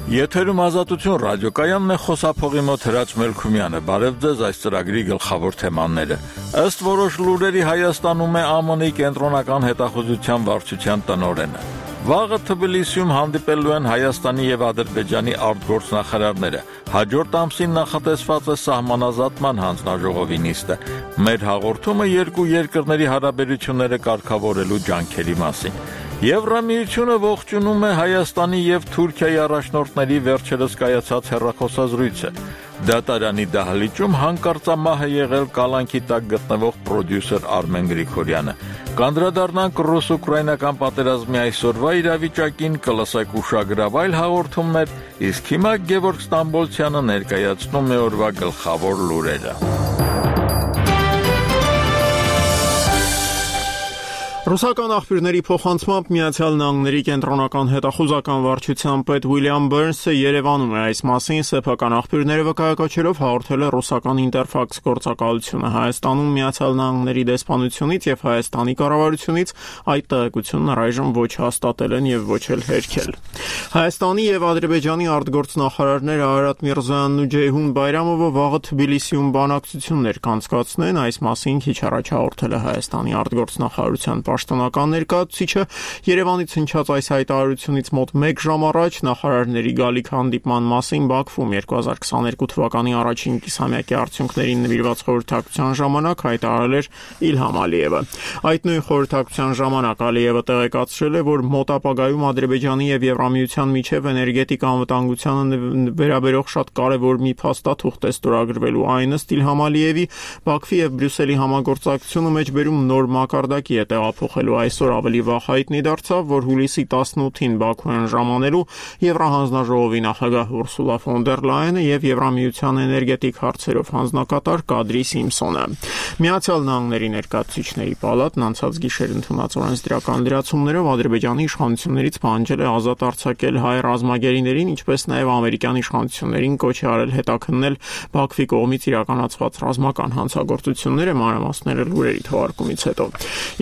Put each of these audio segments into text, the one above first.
Եթերում ազատություն ռադիոկայանն է, խոսափողի մոտ Հրաչ Մելքումյանը։ Բարև ձեզ, այս ծրագրի գլխավոր թեմաները։ Ըստ որոշ լուրերի Հայաստանում է ԱՄՆ-ի կենտրոնական հետախուզության վարչության տնօրենը։ Վաղը Թբիլիսիում հանդիպելու են Հայաստանի եւ Ադրբեջանի արտգործնախարարները։ Հաջորդ ամսին նախատեսված է սահմանազատման հանձնաժողովի նիստը։ Մեր հաղորդումը երկու երկրների հարաբերությունները կարգավորելու ջանքերի մասին։ Եվրամիությունը ողջունում է Հայաստանի եւ Թուրքիայի առաջնորդների վերջերս կայացած հեռախոսազրույցը։ Դատարանի դահլիճում հանկարծամահ է եղել կալանքի տակ գտնվող պրոդյուսեր Արմեն Գրիգորյանը։ Կանդրադառնանք ռուս-ուկրաինական պատերազմի այսօրվա իրավիճակին, կլսեք ուշագրավ այլ հաղորդումներ, իսկ հիմա Գևորգ Ստամբոլցյանը ներկայացնում է օրվա գլխավոր լուրերը։ Ռուսական աղբյուրների փոխանցմամբ Միացյալ Նահանգների կենտրոնական հետախուզական վարչության պետ Ուիլյամ Բերնսը Երևանում է, այս մասին սեփական աղբյուրները վկայակոչելով հաղորդել է ռուսական Ինտերֆաքս գործակալությունը։ Հայաստանում Միացյալ Նահանգների դեսպանությունից եւ Հայաստանի կառավարությունից այդ տեղեկությունն առայժմ ոչ հաստատել են եւ ոչ էլ հերքել։ Հայաստանի եւ Ադրբեջանի արտգործնախարարները Արարատ Միրզոյանն ու Ջեյհուն Բայրամովը վաղը Թբիլիսիում բանակցություններ կանցկացնեն, այս մասին քիչ առաջ հաղորդել է Հայաստանի արտգործնախարարության պաշտոնական ներկայացուցիչը։ Երևանից հնչած այս հայտարարությունից մոտ 1 ժամ առաջ նախարարների գալիք հանդիպման մասին Բաքվում 2022 թվականի առաջին կիսամյակի արդյունքներին նվիրված խորհրդակցության ժամանակ հայտարարել էր Իլհամ Ալիևը։ Այդ նույն խորհրդակցության ժամանակ Ալիևը տեղեկացրել է, որ մոտ ապագայում Ադրբեջանի եւ Եվրամիության միջև էներգետիկ անվտանգությանը վերաբերող շատ կարևոր մի փաստաթուղթ է ստորագրվելու, այն ըստ Իլհամ Ալիևի Բաքվի եւ Բրյուսելի համագործակցությունը մեջբերում նոր մակարդակի է տեղափոխելու։ Այսօր ավելի վաղ հայտնի դարձավ, որ հուլիսի 18-ին Բաքու են ժամանելու Եվրահանձնաժողովի նախագահ Ուրսուլա ֆոն դեր Լայենը եւ Եվրամիության էներգետիկ հարցերով հանձնակատար Կադրի Սիմպսոնը։ Միացյալ Նահանգների ներկայացուցիչների պալատն անցած գիշեր ընդունած օրենսդրական լրացումներով Ադրբեջանի իշխանություններից պահանջել է ազատ արձակել հայ ռազմագերիներին, ինչպես նաեւ ամերիկյան իշխանություններին կոչ է արել հետաքննել Բաքվի կողմից իրականացված ռազմական հանցագործությունները, մանրամասները լուրերի թողարկումից հետո։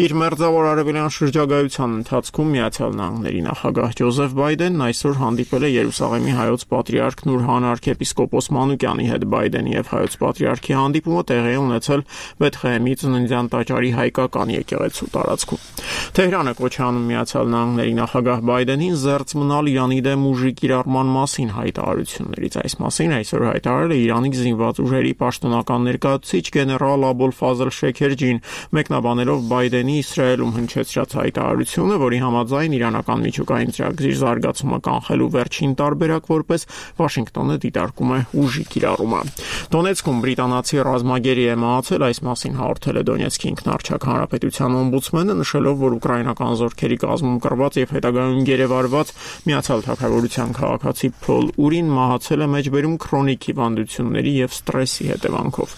Իր մերձավոր արևելյան շրջագայության ընթացքում Միացյալ Նահանգների նախագահ Ջոզեֆ Բայդենն այսօր հանդիպել է Երուսաղեմի հայոց պատրիարք Նուրհան arczepiskopos Մանուկյանի հետ։ Բայդենի եւ հայոց պատրիարքի հանդիպումը տեղի է ունեցել Բեթխեհեմի ծննդյան տաճարի հայկական եկեղեցու տարածքում։ Թեհրանը կոչ է անում Միացյալ Նահանգների նախագահ Բայդենին զերծ մնալ Իրանի դեմ ուժի կիրառման մասին հայտարարություններից։ Այս մասին այսօր հայտարարել է Իրանի զինված ուժերի պաշտոնական ներկայացուցիչ գեներալ Աբոլ Ֆազլ Շեքերջին, մեկնաբանելով Բայդենի Իսրայելում հնչեցրած հայտարարությունը, որի համաձայն իրանական միջուկային ծրագրի զարգացումը կանխելու վերջին տարբերակ որպես Վաշինգտոնը դիտարկում է ուժի կիրառումը։ Դոնեցկում բրիտանացի ռազմագերի է մահացել, այս մասին հաղորդել է Դոնեցկի ինքնարչակ հանրապետության օմբուդսմենը, նշելով, որ ուկրաինական զորքերի կազմում կռված եւ հետագայում գերեվարված Միացյալ Թագավորության քաղաքացի Փոլ Ուրին մահացել է մեջբերում քրոնիկ հիվանդությունների եւ ստրեսի հետևանքով։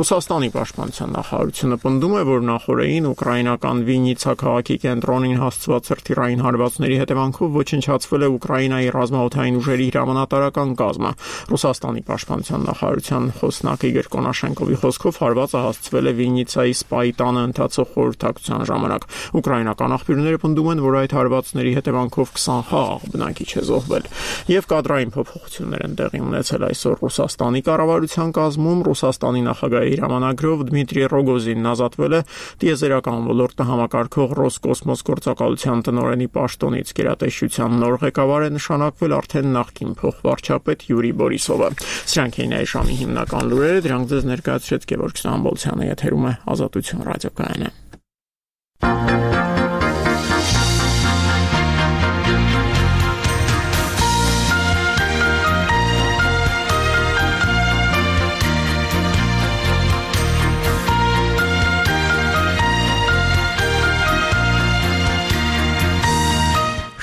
Ռուսաստանի պաշտպանության նախարարությունը պնդում է, որ նախորդին ուկրաինական Վիննիցա քաղաքի կենտրոնին հասցված հրթիռային հարվածների հետևանքով ոչնչացվել է Ուկրաինայի ռազմաօդային ուժերի հրամանատարական կազմը։ Ռուսաստանի պաշտպանության նախարարության խոսնակ Իգոր Կոնաշենկովի խոսքով հարվածը հասցվել է Վիննիցայի Սպայի տանը ընթացող խորհրդակցության ժամանակ։ Ուկրաինական աղբյուրները պնդում են, որ այդ հարվածների հետևանքով 20 խաղաղ բնակիչ է զոհվել։ Եվ կադրային փոփոխություններ են տեղի ունեցել այսօր Ռուսաստանի կառավարության կազմում։ Ռուսաստանի նախագահի հրամանագրով Դմիտրի Ռոգոզինն ազատվել է տիեզերական ոլորտը համակարգող Ռոսկոսմոս գործակալության տնօրենի պաշտոնից։ Գերատեսչության նոր ղեկավար է նշանակվել արդեն նախկին փոխվարչապետ Յուրի Բորիսովը։ Սրանք էին այս ժամի հիմնական լուրերը, դրանք ձեզ ներկայացրեց Գևորգ Ստամբոլցյանը, եթերում է Ազատություն ռադիոկայանը։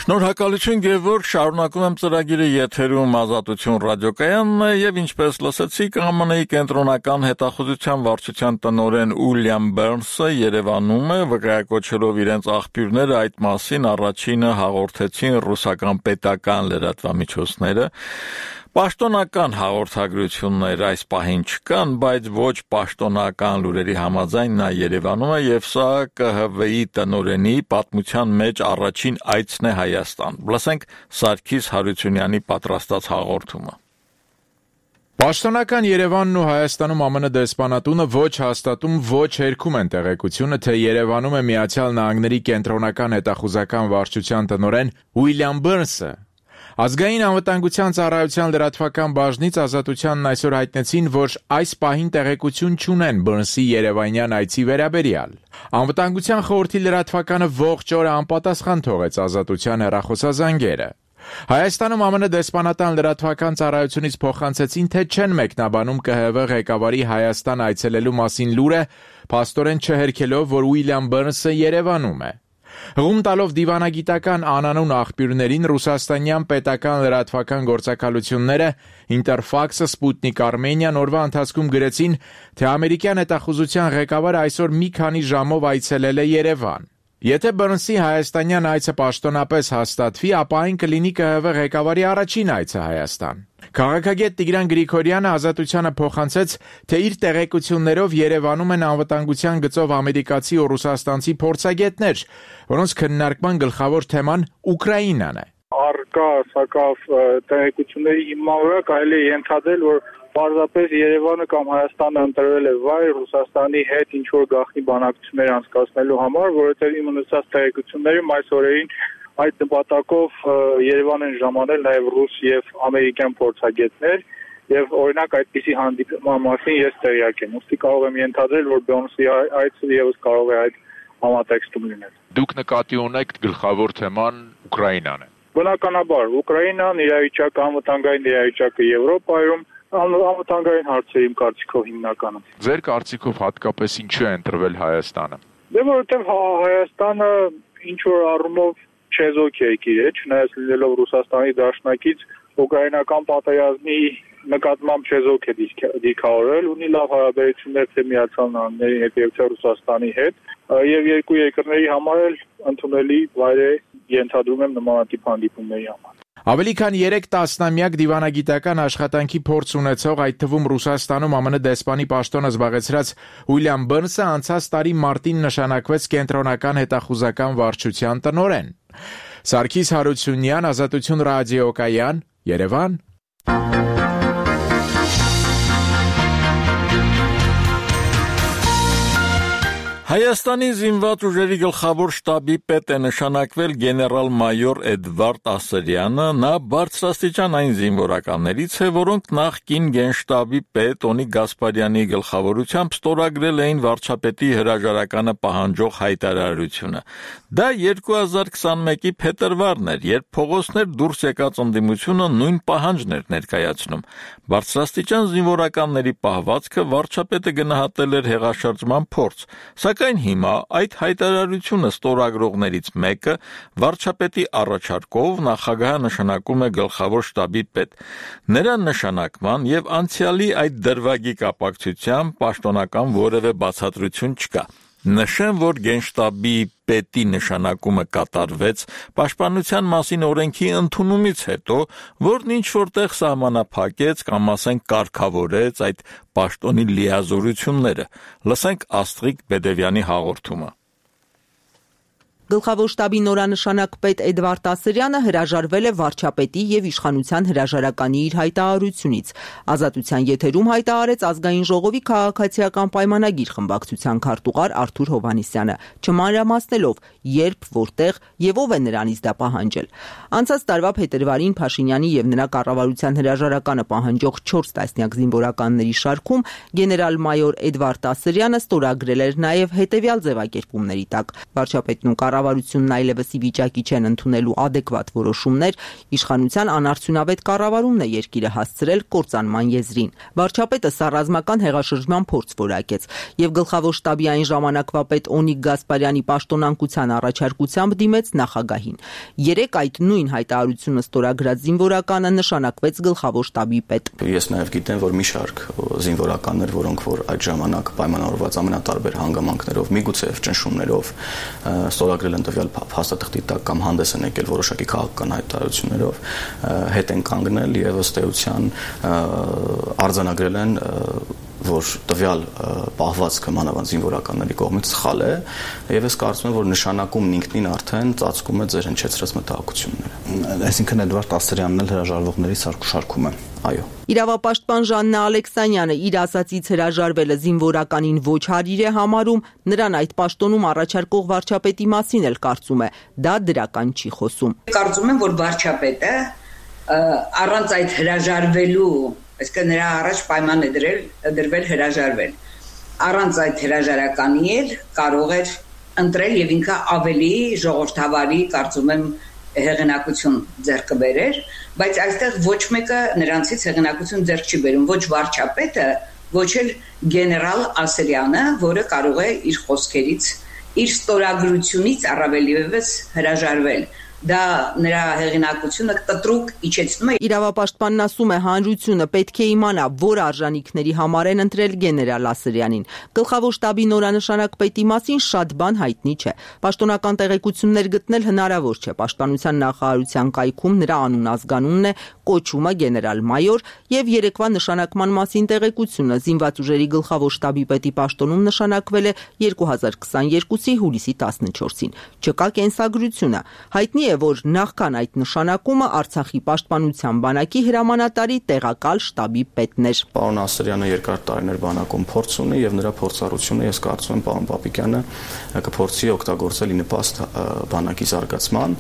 Շնորհակալություն Գևորգ, շարունակում եմ ծրագիրը եթերում Ազատություն ռադիոկայանն է եւ ինչպես լսեցիք ԱՄՆ-ի կենտրոնական հետախուզության վարչության տնօրեն Ուիլյամ Բերնսը Երևանում է, վկայակոչելով իրենց աղբյուրները այդ մասին առաջինը հաղորդեցին ռուսական պետական լրատվամիջոցները։ Պաշտոնական հաղորդագրություններ այս պահին չկան, բայց ոչ պաշտոնական լուրերի համաձայն նա Երևանում է եւ սա ԿՀՎ-ի տնօրենի պատմության մեջ առաջին այցն է Հայաստան։ Լսենք Սարգիս Հարությունյանի պատրաստած հաղորդումը։ Պաշտոնական Երևանն ու Հայաստանում ԱՄՆ դեսպանատունը ոչ հաստատում, ոչ հերքում են տեղեկությունը, թե Երևանում է Միացյալ Նահանգների կենտրոնական հետախուզական վարչության տնօրեն Ուիլյամ Բըրնսը։ Ազգային անվտանգության ծառայության լրատվական բաժնից Ազատությանն այսօր հայտնեցին, որ այս պահին տեղեկություն չունեն Բըրնսի երևանյան այցի վերաբերյալ։ Անվտանգության խորհրդի լրատվականը ողջ օրը անպատասխան թողեց Ազատության հեռախոսազանգերը։ Հայաստանում ԱՄՆ դեսպանատան լրատվական ծառայությունից փոխանցեցին, թե չեն մեկնաբանում ԿՀՎ ղեկավարի Հայաստան այցելելու մասին լուրը, փաստորեն չհերքելով, որ Ուիլյամ Բըրնսը Երևանում է։ Հղում տալով դիվանագիտական անանուն աղբյուրներին ռուսաստանյան պետական լրատվական գործակալությունները Ինտերֆաքսը, Սպուտնիկ Արմենիան օրվա ընթացքում գրեցին, թե ամերիկյան հետախուզության ղեկավարը այսօր մի քանի ժամով այցելել է Երևան։ Եթե Բըրնսի հայաստանյան այցը պաշտոնապես հաստատվի, ապա այն կլինի ԿՀՎ ղեկավարի առաջին այցը Հայաստան։ Քաղաքագետ Տիգրան Գրիգորյանը Ազատությանը փոխանցեց, թե իր տեղեկություններով Երևանում են անվտանգության գծով ամերիկացի ու ռուսաստանցի փորձագետներ, որոնց քննարկման գլխավոր թեման Ուկրաինան է։ Առկա սակավ տեղեկությունների հիման վրա կարելի է ենթադրել, որ պարզապես Երևանը կամ Հայաստանը ընտրվել է վայր Ռուսաստանի հետ ինչ-որ գաղտնի բանակցություններ անցկացնելու համար, որովհետև իմ ունեցած տեղեկություններում այս օրերին այդ նպատակով Երևան են ժամանել նաև ռուս եւ ամերիկյան փորձագետներ եւ օրինակ այդպիսի հանդիպման մասին ես տեղյակ եմ։ Ուստի կարող եմ ենթադրել, որ Բըրնսի այցը եւս կարող է այդ համատեքստում լինել։ Դուք նկատի ունեք գլխավոր թեման Ուկրաինան է։ Բնականաբար, Ուկրաինան, իրավիճակը, անվտանգային իրավիճակը Եվրոպայում, անվտանգային հարցեր իմ կարծիքով հիմնականում։ Ձեր կարծիքով հատկապես ինչու է ընտրվել Հայաստանը։ Դե որովհետև Հայաստանը ինչ որ առումով չեզոք երկիր է, չնայած լինելով Ռուսաստանի դաշնակից, ուկրաինական պատերազմի նկատմամբ չեզոք է դիրքավորել, ունի լավ հարաբերություններ թե Միացյալ Նահանգների հետ եւ թե Ռուսաստանի հետ, եւ երկու երկրների համար էլ ընդունելի վայր է, ենթադրում եմ նմանատիպ հանդիպումների համար։ Ավելի քան 3 տասնամյակ դիվանագիտական աշխատանքի փորձ ունեցող, այդ թվում Ռուսաստանում ԱՄՆ դեսպանի պաշտոնը զբաղեցրած Ուիլյամ Բըրնսը անցած տարի մարտին նշանակվեց կենտրոնական հետախուզական վարչության տնօրեն։ Սարգիս Հարությունյան, Ազատություն ռադիոկայան, Երևան։ Հայաստանի զինված ուժերի գլխավոր շտաբի պետ է նշանակվել գեներալ-մայոր Էդվարդ Ասրյանը, նա բարձրաստիճան այն զինվորականներից է, որոնք նախկին գենշտաբի պետ Օնիկ Գասպարյանի գլխավորությամբ ստորագրել էին վարչապետի հրաժարականը պահանջող հայտարարությունը։ Դա 2021-ի փետրվարն էր, երբ փողոցներ դուրս եկած ընդդիմությունը նույն պահանջն էր ներկայացնում։ Բարձրաստիճան զինվորականների պահվածքը վարչապետը գնահատել էր հեղաշրջման փորձ, սակայն հիմա այդ հայտարարությունը ստորագրողներից մեկը վարչապետի առաջարկով նախագահը նշանակում է գլխավոր շտաբի պետ։ Նրա նշանակման եւ անցյալի այդ դրվագի կապակցությամբ պաշտոնական որևէ բացատրություն չկա։ Նշեմ, որ գենշտաբի պետի նշանակումը կատարվեց պաշտպանության մասին օրենքի ընդունումից հետո, որն ինչ որտեղ սահմանափակեց կամ ասենք կարգավորեց այդ պաշտոնի լիազորությունները։ Լսենք Աստրիկ Բեդևյանի հաղորդումը։ Գլխավոր շտաբի նորանշանակ պետ Էդվարդ Ասրյանը հրաժարվել է վարչապետի եւ իշխանության հրաժարականի իր հայտարարությունից։ Ազատության եթերում հայտարարեց ազգային ժողովի քաղաքացիական պայմանագիր խմբակցության քարտուղար Արթուր Հովհաննիսյանը, չմանրամասնելով երբ, որտեղ եւ ով է նրանից դա պահանջել։ Անցած տարվա փետրվարին Փաշինյանի եւ նրա կառավարության հրաժարականը պահանջող 4 տասնյակ զինվորականների շարքում գեներալ-մայոր Էդվարդ Ասրյանը ստորագրել էր նաեւ հետեւյալ ձևակերպումների տակ. վարչապետն ու կառավարությունն այլևս ի վիճակի չեն ընդունելու adekvat որոշումներ, իշխանության անարդյունավետ կառավարումն է երկիրը հասցրել կործանման եզրին։ Վարչապետը սա ռազմական հեղաշրջման փորձ որակեց եւ գլխավոր շտաբի այն ժամանակվա պետ Օնիկ Գասպարյանի պաշտոնանկության առաջարկությամբ դիմեց նախագահին։ Երեք այդ նույն հայտարարությունը ստորագրած զինվորականը նշանակվեց գլխավոր շտաբի պետ։ Ես նաեւ գիտեմ, որ մի շարք զինվորականներ, որոնք որ այդ ժամանակ պայմանավորված ամենատարբեր հանգամանքներով, միգուցե ճնշումներով ստորագրել արձանագրել են տվյալ փաստաթղթի տակ կամ հանդես են եկել որոշակի քաղաքական հայտարարություններով, հետ են կանգնել եւ ըստ էության արձանագրել են, որ տվյալ պահվածքը մանավանդ զինվորականների կողմից սխալ է եւ ես կարծում եմ, որ նշանակումն ինքնին արդեն ծածկում է ձեր հնչեցրած մտահոգությունները։ Այսինքն Էդվարդ Ասրյանն էլ հրաժարվողների սարքուշարքում է։ Այո։ Իրավապաշտպան Ժաննա Ալեքսանյանը իր ասացից հրաժարվելը զինվորականին ոչ հարիր է համարում, նրան այդ պաշտոնում առաջարկող վարչապետի մասին էլ կարծում է, դա դրական չի խոսում։ Կարծում եմ, որ վարչապետը առանց այդ հրաժարվելու, այսինքն նրա առաջ պայման է դրվել հրաժարվել։ Առանց այդ հրաժարականի էլ կարող էր ընտրել եւ ինքը ավելի ժողովրդավարի, կարծում եմ, հեղինակություն ձեռք բերեր, բայց այստեղ ոչ մեկը նրանցից հեղինակություն ձեռք չի բերում, ոչ վարչապետը, ոչ էլ գեներալ Ասրյանը, որը կարող է իր խոսքերից, իր ստորագրությունից առավելևս հրաժարվել։ Դա նրա հեղինակությունը կտրուկ իջեցնում է։ Իրավապաշտպանն ասում է, հանրությունը պետք է իմանա, որ արժանինքների համար են ընտրել գեներալ Ասրյանին։ Գլխավոր շտաբի նորանշանակ պետի մասին շատ բան հայտնի չէ։ Պաշտոնական տեղեկություններ գտնել հնարավոր չէ։ Պաշտպանության նախարարության կայքում նրա անուն-ազգանունն է, կոչումը գեներալ-մայոր եւ երեկվա նշանակման մասին տեղեկությունը զինված ուժերի գլխավոր շտաբի պետի պաշտոնում նշանակվել է 2022-ի հուլիսի 14-ին։ Չկա կենսագրությունը։ Հայտնի է, որ նախքան այդ նշանակումը Արցախի պաշտպանության բանակի հրամանատարի տեղակալ շտաբի պետն էր։ Պարոն Ասրյանը երկար տարիներ բանակում փորձ ունի եւ նրա փորձառությունը, ես կարծում եմ, պարոն Պապիկյանը կփորձի օգտագործել ի նպաստ բանակի զարգացման,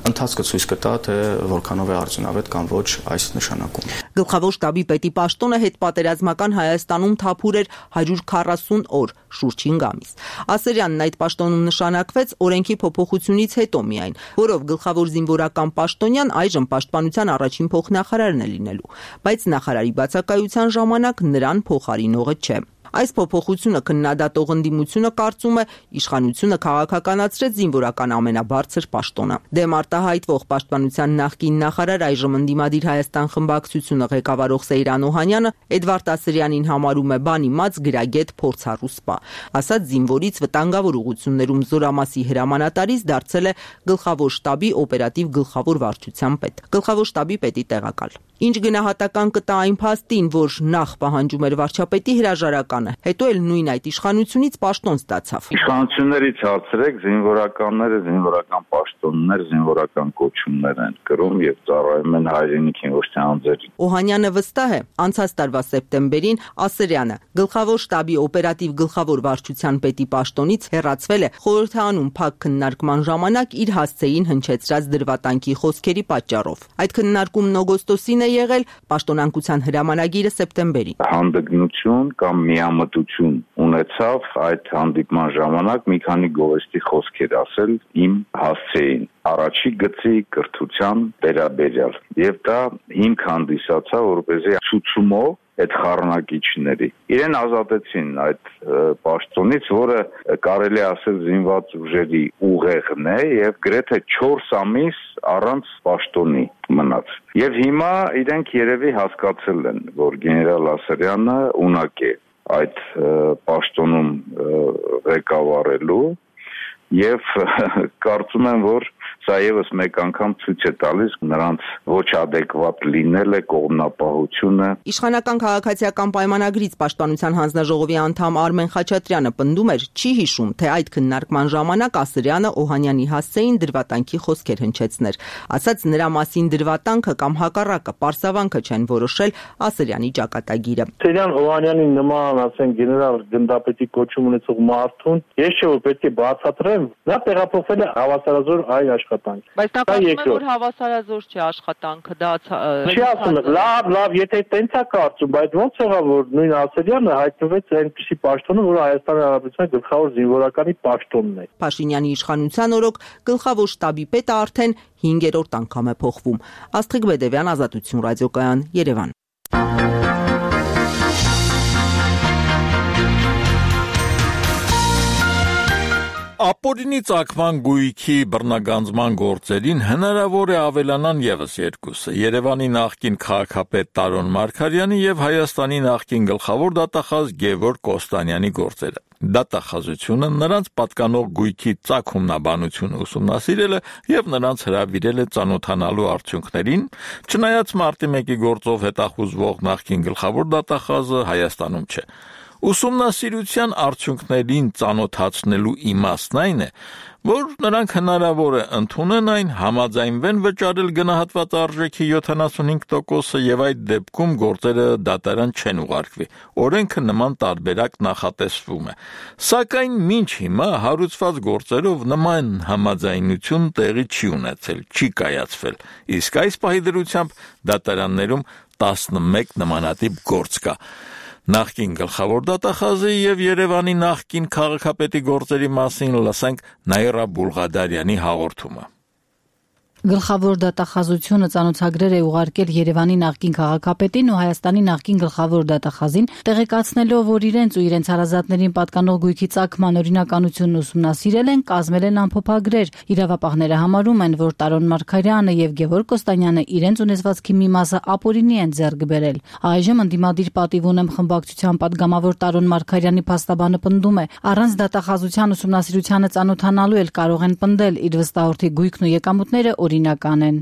ընթացքը ցույց կտա, թե որքանով է արդյունավետ կամ ոչ այս նշանակումը։ Գլխավոր շտաբի պետի պաշտոնը հետպատերազմական Հայաստանում թափուր էր 140 օր, շուրջ 5 ամիս։ Ասրյանն այդ պաշտոնում նշանակվեց օրենքի փոփոխությունից հետո միայն, որով գլխավոր զինվորական պաշտոնյան այժմ պաշտպանության առաջին փոխնախարարն է լինելու, բայց նախարարի բացակայության ժամանակ նրան փոխարինողը չէ։ Այս փոփոխությունը քննադատող ընդդիմությունը կարծում է, իշխանությունը քաղաքականացրեց զինվորական ամենաբարձր պաշտոնը։ Դեմ արտահայտվող պաշտպանության նախկին նախարար, այժմ ընդդիմադիր Հայաստան խմբակցությունը ղեկավարող Սեյրան Օհանյանը Էդվարդ Ասրյանին համարում է բան իմաց գրագետ փորձառու սպա։ Ասած զինվորից վտանգավոր ուղղություններում զորամասի հրամանատարից դարձել է գլխավոր շտաբի օպերատիվ գլխավոր վարչության պետ, գլխավոր շտաբի պետի տեղակալ։ Ինչ գնահատական կտա այն փաստին, որ նախ պահանջում էր վարչապետի հրաժարականը, հետո էլ նույն այդ իշխանությունից պաշտոն ստացավ։ Իշխանություններից հարցրեք, զինվորականները զինվորական պաշտոններ, զինվորական կոչումներ են կրում եւ ծառայում են հայրենիքին, ոչ թե անձերին։ Օհանյանը վստահ է, անցած տարվա սեպտեմբերին Ասրյանը գլխավոր շտաբի օպերատիվ գլխավոր վարչության պետի պաշտոնից հեռացվել է խորհրդանում փակ քննարկման ժամանակ իր հասցեին հնչեցրած դրվատանքի խոսքերի պատճառով։ Այդ քննարկումն օգոստոսին է եղել, պաշտոնանկության հրամանագիրը սեպտեմբերին։ Հանդգնություն կամ միամտություն ունեցավ այդ հանդիպման ժամանակ մի քանի գովեստի խոսքեր ասել իմ հասցեին առաջի գծի կրթության վերաբերյալ եւ դա հիմք հանդիսացավ, որպեսզի ցուցումով այդ խառնակիչների իրեն ազատեցին այդ պաշտոնից, որը կարելի ասել զինված ուժերի ուղեղն է եւ գրեթե 4 ամիս առանց պաշտոնի մնաց։ Եվ հիմա իրենք երևի հասկացել են, որ գեներալ Ասրյանը ունակ է այդ պաշտոնում ղեկավարելու եւ կարծում եմ, որ սա եւս մեկ անգամ ցույց է տալիս նրանց ոչ adekvat լինելը, կողմնապահությունը։ Իշխանական քաղաքացիական պայմանագրից պաշտպանության հանձնաժողովի անդամ Արմեն Խաչատրյանը պնդում էր, չի հիշում, թե այդ քննարկման ժամանակ Ասրյանը Օհանյանի հասցեին դրվատանքի խոսքեր հնչեցներ։ Ասած նրա մասին դրվատանքը կամ հակառակը պարսավանքը չեն որոշել Ասրյանի ճակատագիրը։ Սերյան Օհանյանի նման, ասեն, գեներալ գնդապետի կոչում ունեցող մարդուն, ես չէ որ պետք է բացատրեմ, նա տեղափոխվել է հավասարազոր այլ աշխատանք։ Բայց նա կարծում է, որ հավասարազոր չէ աշխատանքը, դա չի ասում, լավ, եթե տենց է կարծում, բայց ո՞նց եղավ, որ նույն Ասրյանը հայտնվեց այնպիսի պաշտոնում, որ Հայաստանի Հանրապետության գլխավոր զինվորականի պաշտոնն է։ Փաշինյանի իշխանության օրոք գլխավոր շտաբի պետը արդեն 5-րդ անգամ է փոխվում։ Աստղիկ Բեդևյան, Ազատություն ռադիոկայան, Երևան։ Ապօրինի ծագման գույքի բռնագանձման գործերին հնարավոր է ավելանան եւս երկուսը՝ Երևանի նախկին քաղաքապետ Տարոն Մարգարյանի եւ Հայաստանի նախկին գլխավոր դատախազ Գևորգ Կոստանյանի գործերը։ Դատախազությունը նրանց պատկանող գույքի ծագումնաբանությունը ուսումնասիրել է եւ նրանց հրավիրել է ծանոթանալու արդյունքներին, չնայած մարտի 1-ի գործով հետախուզվող նախկին գլխավոր դատախազը Հայաստանում չէ։ Ուսումնասիրության արդյունքներին ծանոթացնելու իմաստն այն է, որ նրանք հնարավոր է ընդունեն այն, համաձայնվեն վճարել գնահատված արժեքի 75%-ը եւ այդ դեպքում գործերը դատարան չեն ուղարկվի։ Օրենքը նման տարբերակ նախատեսվում է։ Սակայն մինչ հիմա հարուցված գործերով նման համաձայնություն տեղի չի ունեցել, չի կայացվել։ Իսկ այս պահի դրությամբ դատարաններում 11 նմանատիպ գործ կա։ Նախկին գլխավոր դատախազի եւ Երևանի նախկին քաղաքապետի գործերի մասին լսենք Նաիրա Բուլղադարյանի հաղորդումը։ Գլխավոր դատախազությունը ծանոթագրեր է ուղարկել Երևանի նախկին քաղաքապետին ու Հայաստանի նախկին գլխավոր դատախազին, տեղեկացնելով, որ իրենց ու իրենց հարազատներին պատկանող գույքի ծագման օրինականությունն ուսումնասիրել են, կազմել են ամփոփագրեր։ Իրավապահները համարում են, որ Տարոն Մարգարյանը եւ Գևորգ Կոստանյանը իրենց ունեցվածքի մի մասը ապօրինի են ձեռք բերել։ Այժմ ընդդիմադիր պատիվ ունեմ խմբակցության պատգամավոր Տարոն Մարգարյանի փաստաբանը պնդում է, առանց դատախազության ուսումնասիրությանը ծանոթանալու էլ կարող են պնդել իր վստահորդի գույքն ու եկամուտները օրինական են։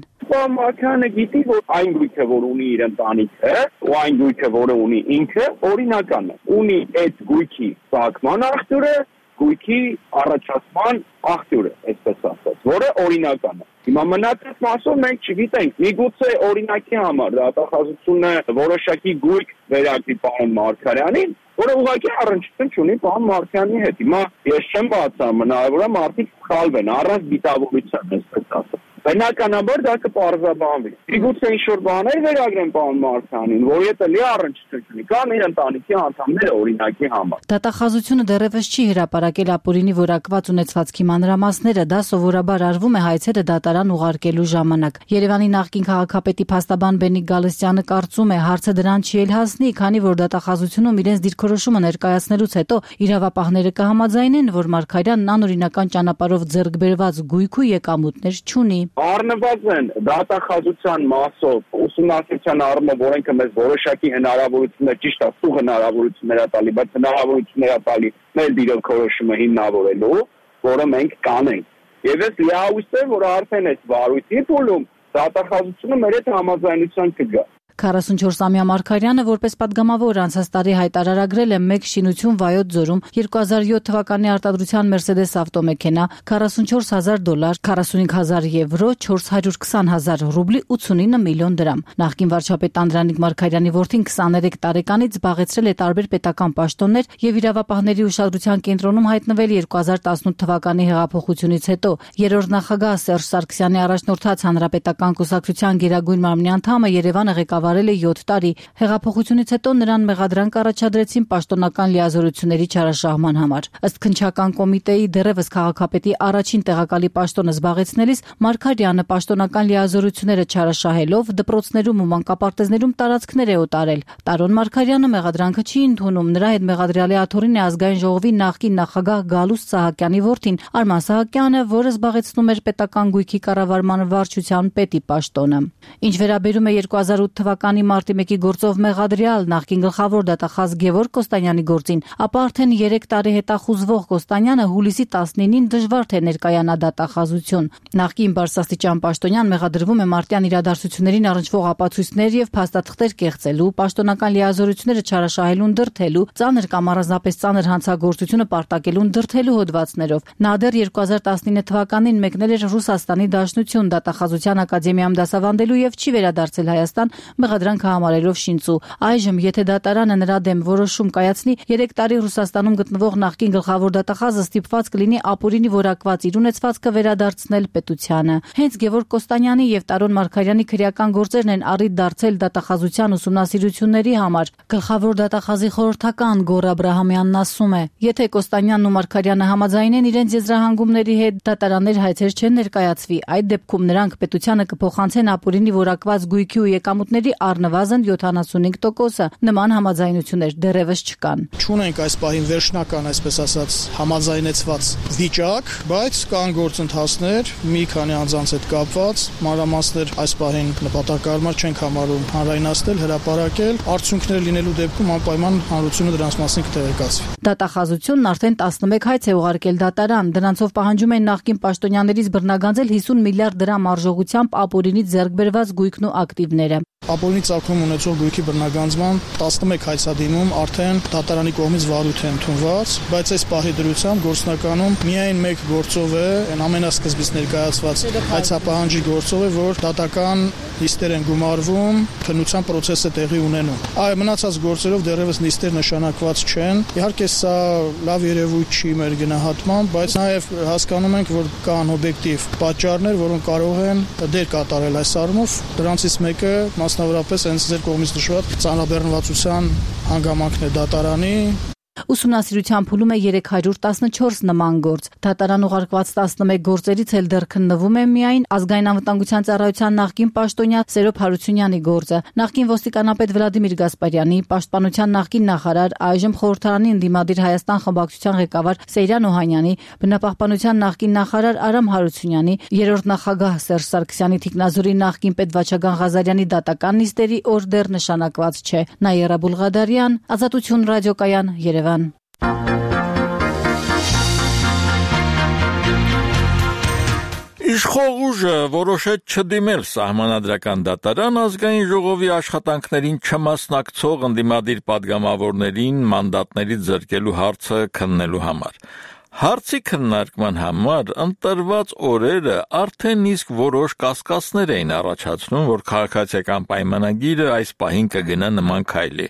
Մարգարյանը գիտի, որ այն գույքը, որ ունի իր ընտանիքը, ու այն գույքը, որը ունի ինքը, օրինական է։ Ունի այդ գույքի ծագման աղբյուրը, գույքի առաջացման աղբյուրը, այսպես ասած, որը օրինական է։ Հիմա մնացած մասով մենք չգիտենք, միգուցե օրինակի համար դատախազությունը որոշակի գույք վերագրի պարոն Մարգարյանին, որը ուղղակի առնչություն չունի պարոն Մարգարյանի հետ։ Հիմա ես չեմ բացառում, հնարավոր է մարդիկ սխալվեն առանց դիտավորության, այսպես ասած։ Բնականաբար դա կպարզաբանվի։ Միգուցե ինչ-որ բաներ վերագրեն պարոն Մարգարյանին, որ եթե լի առնչություն չունի, կամ իր ընտանիքի անդամները օրինակի համար։ Դատախազությունը դեռևս չի հրապարակել ապօրինի որակված ունեցվածքի մանրամասները, դա սովորաբար արվում է հայցերը դատարան ուղարկելու ժամանակ։ Երևանի նախկին քաղաքապետի փաստաբան Բենիկ Գալստյանը կարծում է, հարցը դրան չի էլ հասնի, քանի որ դատախազությունում իրենց դիրքորոշումը ներկայացնելուց հետո իրավապահները կհամաձայնեն, որ Մարգարյանն անօրինական ճանապարհով ձեռք բերված գույք ու եկամուտներ չունի։ Առնվազն դատախազության մասով ուսումնասիրության առումով օրենքը մեզ որոշակի հնարավորություններ, ճիշտ է, սուղ հնարավորություններ է տալի, բայց հնարավորություններ է տալի մեր դիրքորոշումը հիմնավորելու, որը մենք կանենք։ Եվ ես լիահույս եմ, որ արդեն այս վարույթի փուլում դատախազությունը մեր հետ համաձայնության կգա։ 44-ամյա Մարգարյանը որպես պատգամավոր անցած տարի հայտարարագրել է մեկ շինություն Վայոց ձորում 2007 թվականի արտադրության Mercedes ավտոմեքենա, $44,000, 45,000 եվրո, 420,000 ռուբլի, 89 միլիոն դրամ։ Նախկին վարչապետ Անդրանիկ Մարգարյանի որդին 23 տարեկանից զբաղեցրել է տարբեր պետական պաշտոններ եւ իրավապահների ուշադրության կենտրոնում հայտնվել 2018 թվականի հեղափոխությունից հետո։ Երրորդ նախագահ Սերժ Սարգսյանի առաջնորդած Հանրապետական կուսակցության գերագույն մարմնի անդամը Երևանը ղեկավարել է 7 տարի։ Հեղափոխությունից հետո նրան մեղադրանք առաջադրեցին պաշտոնական լիազորությունների չարաշահման համար։ Ըստ քննչական կոմիտեի դեռևս քաղաքապետի առաջին տեղակալի պաշտոնը զբաղեցնելիս Մարգարյանը պաշտոնական լիազորությունները չարաշահելով դպրոցներում ու մանկապարտեզներում տարածքներ է օտարել։ Տարոն Մարգարյանը մեղադրանքը չի ընդունում, նրա հետ մեղադրյալի աթոռին է ազգային ժողովի նախկին նախագահ Գալուստ Սահակյանի որդին Արման Սահակյանը, որը զբաղեցնում էր պետական գույքի կառավարման վարչության պետի պաշտոնը։ Ինչ վերաբերում է 2008 թվականի մարտի 1-ի գործով մեղադրյալ նախկին գլխավոր դատախազ Գևորգ Կոստանյանի գործին, ապա արդեն 3 տարի հետախուզվող Կոստանյանը հուլիսի 19-ին դժվար թե ներկայանա դատախազություն։ Նախկին բարձրաստիճան պաշտոնյան մեղադրվում է մարտյան իրադարձություններին առնչվող ապացույցներ եւ փաստաթղթեր կեղծելու, պաշտոնական լիազորությունները չարաշահելուն դրդելու, ծանր կամ առանձնապես ծանր հանցագործությունը պարտակելուն դրդելու հոդվածներով։ Նա դեռ 2019 թվականին մեկնել էր Ռուսաստանի Դաշնություն դատախազության ակադեմիայում դասավանդելու եւ չի վերադարձել Հայաստան մեղադրանքը համարելով շինծու։ Այժմ, եթե դատարանը նրա դեմ որոշում կայացնի, 3 տարի Ռուսաստանում գտնվող նախկին գլխավոր դատախազը ստիպված կլինի ապօրինի որակված իր ունեցվածքը վերադարձնել պետությանը։ Հենց Գևորգ Կոստանյանի եւ Տարոն Մարգարյանի քրեական գործերն են առիթ դարձել դատախազության ուսումնասիրությունների համար։ Գլխավոր դատախազի խորհրդական Գոռ Աբրահամյանն ասում է. եթե Կոստանյանն ու Մարգարյանը համաձայնեն իրենց եզրահանգումների հետ, դատարաններ հայցեր չեն ներկայացվի։ Այդ դեպքում նրանք պետությանը կփոխանցեն ապօրինի որակված գույքի ու եկամուտների առնվազն 75%։ Նման համաձայնություններ դեռևս չկան։ Չունենք այս պահին վերջնական, այսպես ասած, համաձայնեցված վիճակ, բայց կան գործընթացներ, մի քանի անձանց հետ կապված, մանրամասներ այս պահին նպատակահարմար չենք համարում հանրայնացնել, հրապարակել, արդյունքներ լինելու դեպքում անպայման հանրությունը դրանց մասին կտեղեկացվի։ Դատախազությունն արդեն 11 հայց է ուղարկել դատարան, դրանցով պահանջում են նախկին պաշտոնյաներից բռնագանձել 50 միլիարդ դրամ արժողությամբ ապօրինից ձեռք բերված գույքն ու ակտիվները։ Ապօրինի ծագում ունեցող գույքի բռնագանձման 11 հայցադիմում արդեն դատարանի կողմից վարույթ է ընդունված, բայց այս պահի դրությամբ գործնականում միայն մեկ գործով է, այն ամենասկզբից ներկայացված հայցապահանջի գործով է, որ դատական նիստեր են գումարվում, քննության process-ը տեղի ունենում։ Այ մնացած գործերով դեռևս նիստեր նշանակված չեն։ Իհարկե սա լավ երևույթ չի մեր գնահատմամբ, բայց նաև հասկանում ենք, որ կան օբյեկտիվ պատճառներ, որոնք կարող են դեր կատարել այս առումով։ Դրանցից մեկը մասնավորապես հենց ձեր կողմից նշված ծանրաբեռնվածության հանգամանքն է դատարանի։ Ուսումնասիրության փուլում է 314 նման գործ։ Դատարան ուղարկված 11 գործերից էլ դեռ քննվում է միայն ազգային անվտանգության ծառայության նախկին պաշտոնյա Սերոբ Հարությունյանի գործը, նախկին ոստիկանապետ Վլադիմիր Գասպարյանի, պաշտպանության նախկին նախարար, այժմ խորհրդարանի ընդդիմադիր Հայաստան խմբակցության ղեկավար Սեյրան Օհանյանի, բնապահպանության նախկին նախարար Արամ Հարությունյանի, երրորդ նախագահ Սերժ Սարգսյանի թիկնազորի նախկին պետ Վաչագան Ղազարյանի դատական նիստերի օր դեռ նշանակված չէ։ Նաիրա Բուլղադարյան, Ազատություն ռադիոկայան, Երևան։ Իշխող ուժը որոշեց չդիմել սահմանադրական դատարան ազգային ժողովի աշխատանքներին չմասնակցող ընդդիմադիր պատգամավորներին մանդատներից զրկելու հարցը քննելու համար։ Հարցի քննարկման համար ընտրված օրերը արդեն իսկ որոշ կասկածներ էին առաջացնում, որ քաղաքացիական պայմանագիրը այս պահին կգնա նման քայլի։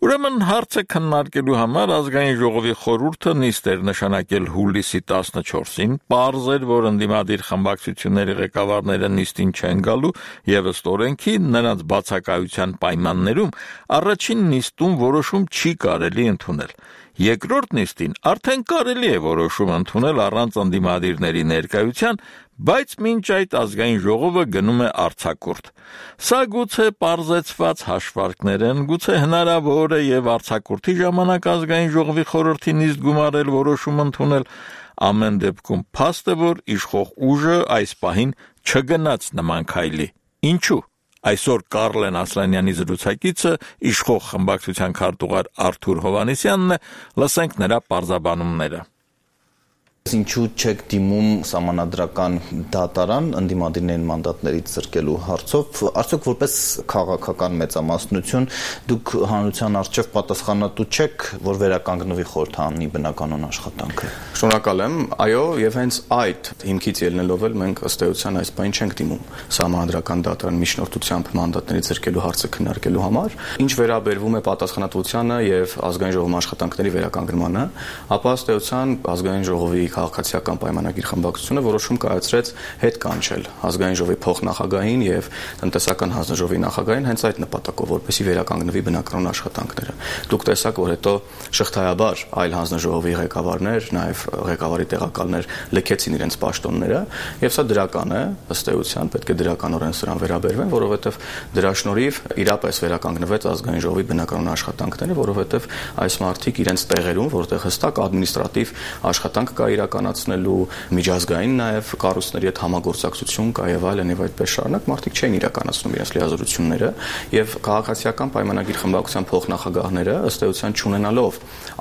Ուրեմն հարցը քննարկելու համար ազգային ժողովի խորհուրդը նիստ էր նշանակել հուլիսի 14-ին, պարզ էր, որ ընդդիմադիր խմբակցությունների ղեկավարները նիստին չեն գալու եւ ըստ օրենքի նրանց բացակայության պայմաններում առաջին նիստում որոշում չի կարելի ընդունել։ Երկրորդ նիստին արդեն կարելի է որոշում ընդունել առանց ընդդիմադիրների ներկայության, բայց մինչ այդ ազգային ժողովը գնում է արձակուրդ։ Սա գուցե պարզեցված հաշվարկներ են, գուցե հնարավոր է եւ արձակուրդի ժամանակ ազգային ժողովի խորհրդի նիստ գումարել որոշում ընդունել, ամեն դեպքում փաստ է, որ իշխող ուժը այս պահին չգնաց նման քայլի։ Ինչու՞։ Այսօր Կարլեն Ասլանյանի զրուցակիցը իշխող խմբակցության քարտուղար Արթուր Հովհաննիսյանն է, լսենք նրա պարզաբանումները։ Ինչու չեք դիմում սահմանադրական դատարան ընդդիմադիրներին մանդատներից զրկելու հարցով, արդյոք որպես քաղաքական մեծամասնություն դուք հանրության առջև պատասխանատու չեք, որ վերականգնվի խորհրդարանի բնականոն աշխատանքը։ Շնորհակալ եմ, այո, եւ հենց այդ հիմքից ելնելով էլ մենք ըստ էության այս բանը չենք դիմում սահմանադրական դատարան միջնորդությամբ մանդատներից զրկելու հարցը քննարկելու համար։ Ինչ վերաբերվում է պատասխանատվությանը եւ ազգային ժողովի աշխատանքների վերականգնմանը, ապա ըստ էության ազգային ժողովի քաղաքացիական պայմանագիր խմբակցությունը որոշում կայացրեց հետ կանչել ազգային ժողովի փոխնախագահին եւ տնտեսական հանձնաժողովի նախագահին հենց այդ նպատակով, որպեսզի վերականգնվի բնականոն աշխատանքները։ Դուք տեսաք, որ հետո շղթայաբար այլ հանձնաժողովի ղեկավարներ, նաեւ ղեկավարի տեղակալներ լքեցին իրենց պաշտոնները, եւ սա դրական է, ըստ էության պետք է դրականորեն սրան վերաբերվեն, որովհետեւ դրա շնորհիվ իրապես վերականգնվեց ազգային ժողովի բնականոն աշխատանքները, որովհետեւ այս մարդիկ իրենց տեղերում, որտեղ հստակ ադմինիստրատիվ աշխատանք կա իրականացնելու, միջազգային նաև կառույցների հետ համագործակցություն կա եւ այլն եւ այդպես շարունակ մարդիկ չէին իրականացնում իրենց լիազորությունները եւ քաղաքացիական պայմանագիր խմբակցության փոխնախագահները ըստ էության չունենալով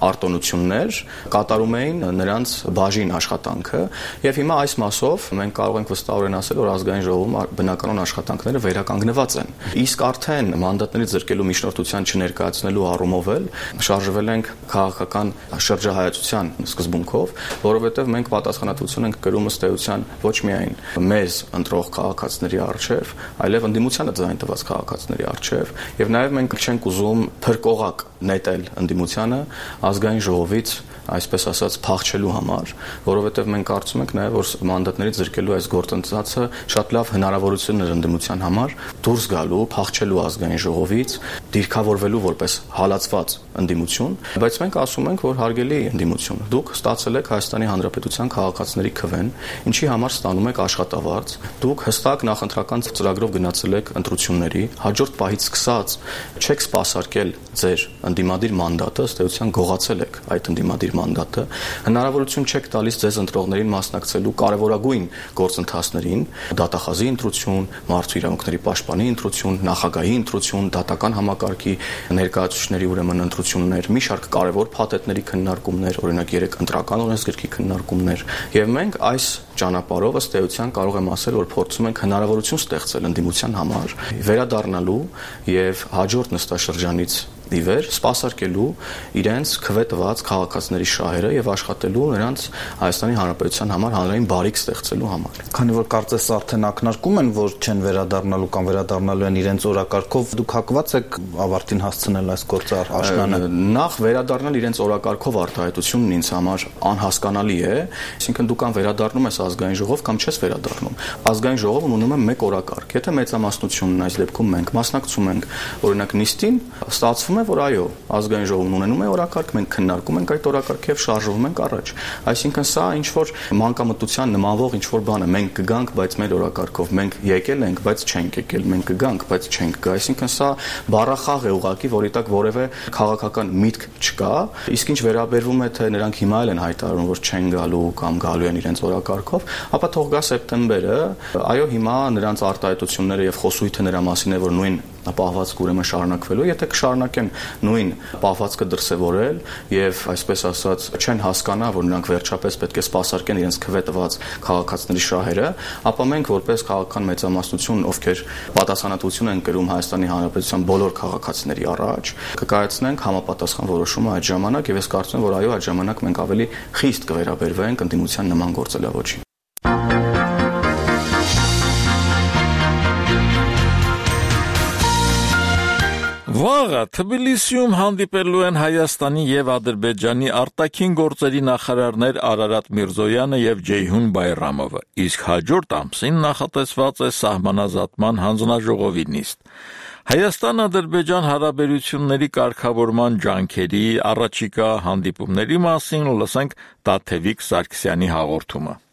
արտոնություններ կատարում էին նրանց բաժին աշխատանքը եւ հիմա այս մասով մենք կարող ենք վստահորեն ասել, որ ազգային ժողովում բնականոն աշխատանքները վերականգնված են։ Իսկ արդեն մանդատներից զրկելու միջնորդության չներկայացնելու առումով էլ շարժվել ենք քաղաքական շրջահայացության սկզբունքով, որովհետև մենք պատասխանատվություն ենք կրում ըստ էության ոչ միայն մեզ ընտրող քաղաքացիների առջև, այլև ընդդիմությանը ձայն տված քաղաքացիների առջև, եւ նաեւ մենք չենք ուզում փրկողակ նետել ընդդիմությանը ազգային ժողովից այսպես ասած փախչելու համար, որովհետև մենք կարծում ենք նաև որ մանդատներից զրկելու այս գործընթացը շատ լավ հնարավորություն էր ընդդիմության համար դուրս գալու, փախչելու ազգային ժողովից, դիրքավորվելու որպես հալածված ընդդիմություն, բայց մենք ասում ենք, որ հարգելի ընդդիմություն, դուք ստացել եք Հայաստանի Հանրապետության քաղաքացիների քվեն, ինչի համար ստանում եք աշխատավարձ, դուք հստակ նախընտրական ծրագրով գնացել եք ընտրությունների, հաջորդ պահից սկսած չեք սպասարկել ձեր ընդդիմադիր մանդատը, ըստ էության գողացել եք այդ ընդդիմադիր մանդատը, հնարավորություն չեք տալիս ձեզ ընտրողներին մասնակցելու կարևորագույն գործընթացներին, դատախազի ընտրություն, մարդու իրավունքների պաշտպանի ընտրություն, նախագահի ընտրություն, դատական համակարգի ներկայացուցիչների ուրեմն ընտրություններ, մի շարք կարևոր փաթեթների քննարկումներ, օրինակ 3 ընտրական օրենսգրքի քննարկումներ, եւ մենք այս ճանապարհով ըստ էության կարող եմ ասել, որ փորձում ենք հնարավորություն ստեղծել ընդդիմության համար վերադառնալու եւ հաջորդ նստաշրջանից ի վեր սպասարկելու իրենց քվե տված քաղաքացիների շահերը եւ աշխատելու նրանց Հայաստանի Հանրապետության համար հանրային բարիք ստեղծելու համար։ Քանի որ կարծես արդեն ակնարկում են, որ չեն վերադառնալու կամ վերադառնալու են իրենց օրակարգով, դուք հակված եք ավարտին հասցնել այս գործը աշնանը։ Նախ վերադառնալ իրենց օրակարգով արտահայտությունն ինձ համար անհասկանալի է, այսինքն դու կամ վերադառնում ես ազգային ժողով կամ չես վերադառնում։ Ազգային ժողովն ունում է մեկ օրակարգ։ Եթե մեծամասնությունն այս դեպքում մենք մասնակցում ենք օրինակ նիստին, ստացվում է, որ այո, ազգային ժողովն ունենում է օրակարգ, մենք քննարկում ենք այդ օրակարգը եւ շարժվում ենք առաջ։ Այսինքն սա ինչ որ մանկամտության նմանվող ինչ որ բան է, մենք կգանք, բայց մեր օրակարգով, մենք եկել ենք, բայց չենք եկել, մենք կգանք, բայց չենք գա։ Այսինքն սա բառախաղ է ուղղակի, որի տակ որևէ քաղաքական միտք չկա, իսկ ինչ վերաբերվում է թե նրանք հիմա էլ են հայտարարում, որ չեն գալու կամ գալու են իրենց օրակարգով, ապա թող գա սեպտեմբերը, այո, հիմա նրանց արտահայտությունները եւ խոսույթը նրա մասին է, որ նույն պահվածքը ուրեմն շարունակվելու, եթե կշարունակեն նույն պահվածքը դրսևորել եւ այսպես ասած չեն հասկանա, որ նրանք վերջապես պետք է սպասարկեն իրենց քվե տված քաղաքացիների շահերը, ապա մենք որպես քաղաքական մեծամասնություն, ովքեր պատասխանատվություն են կրում Հայաստանի Հանրապետության բոլոր քաղաքացիների առաջ, կկայացնենք համապատասխան որոշումը այդ ժամանակ եւ ես կարծում եմ, որ այո, այդ ժամանակ մենք ավելի խիստ կվերաբերվենք ընդդիմության նման գործելավոճին։ Վաղը Թբիլիսիում հանդիպելու են Հայաստանի եւ Ադրբեջանի արտաքին գործերի նախարարներ Արարատ Միրզոյանը եւ Ջեյհուն Բայրամովը, իսկ հաջորդ ամսին նախատեսված է սահմանազատման հանձնաժողովի նիստ։ Հայաստան-Ադրբեջան հարաբերությունների կարգավորման ջանքերի առաջիկա հանդիպումների մասին լսենք Տաթևիկ Սարգսյանի հաղորդումը։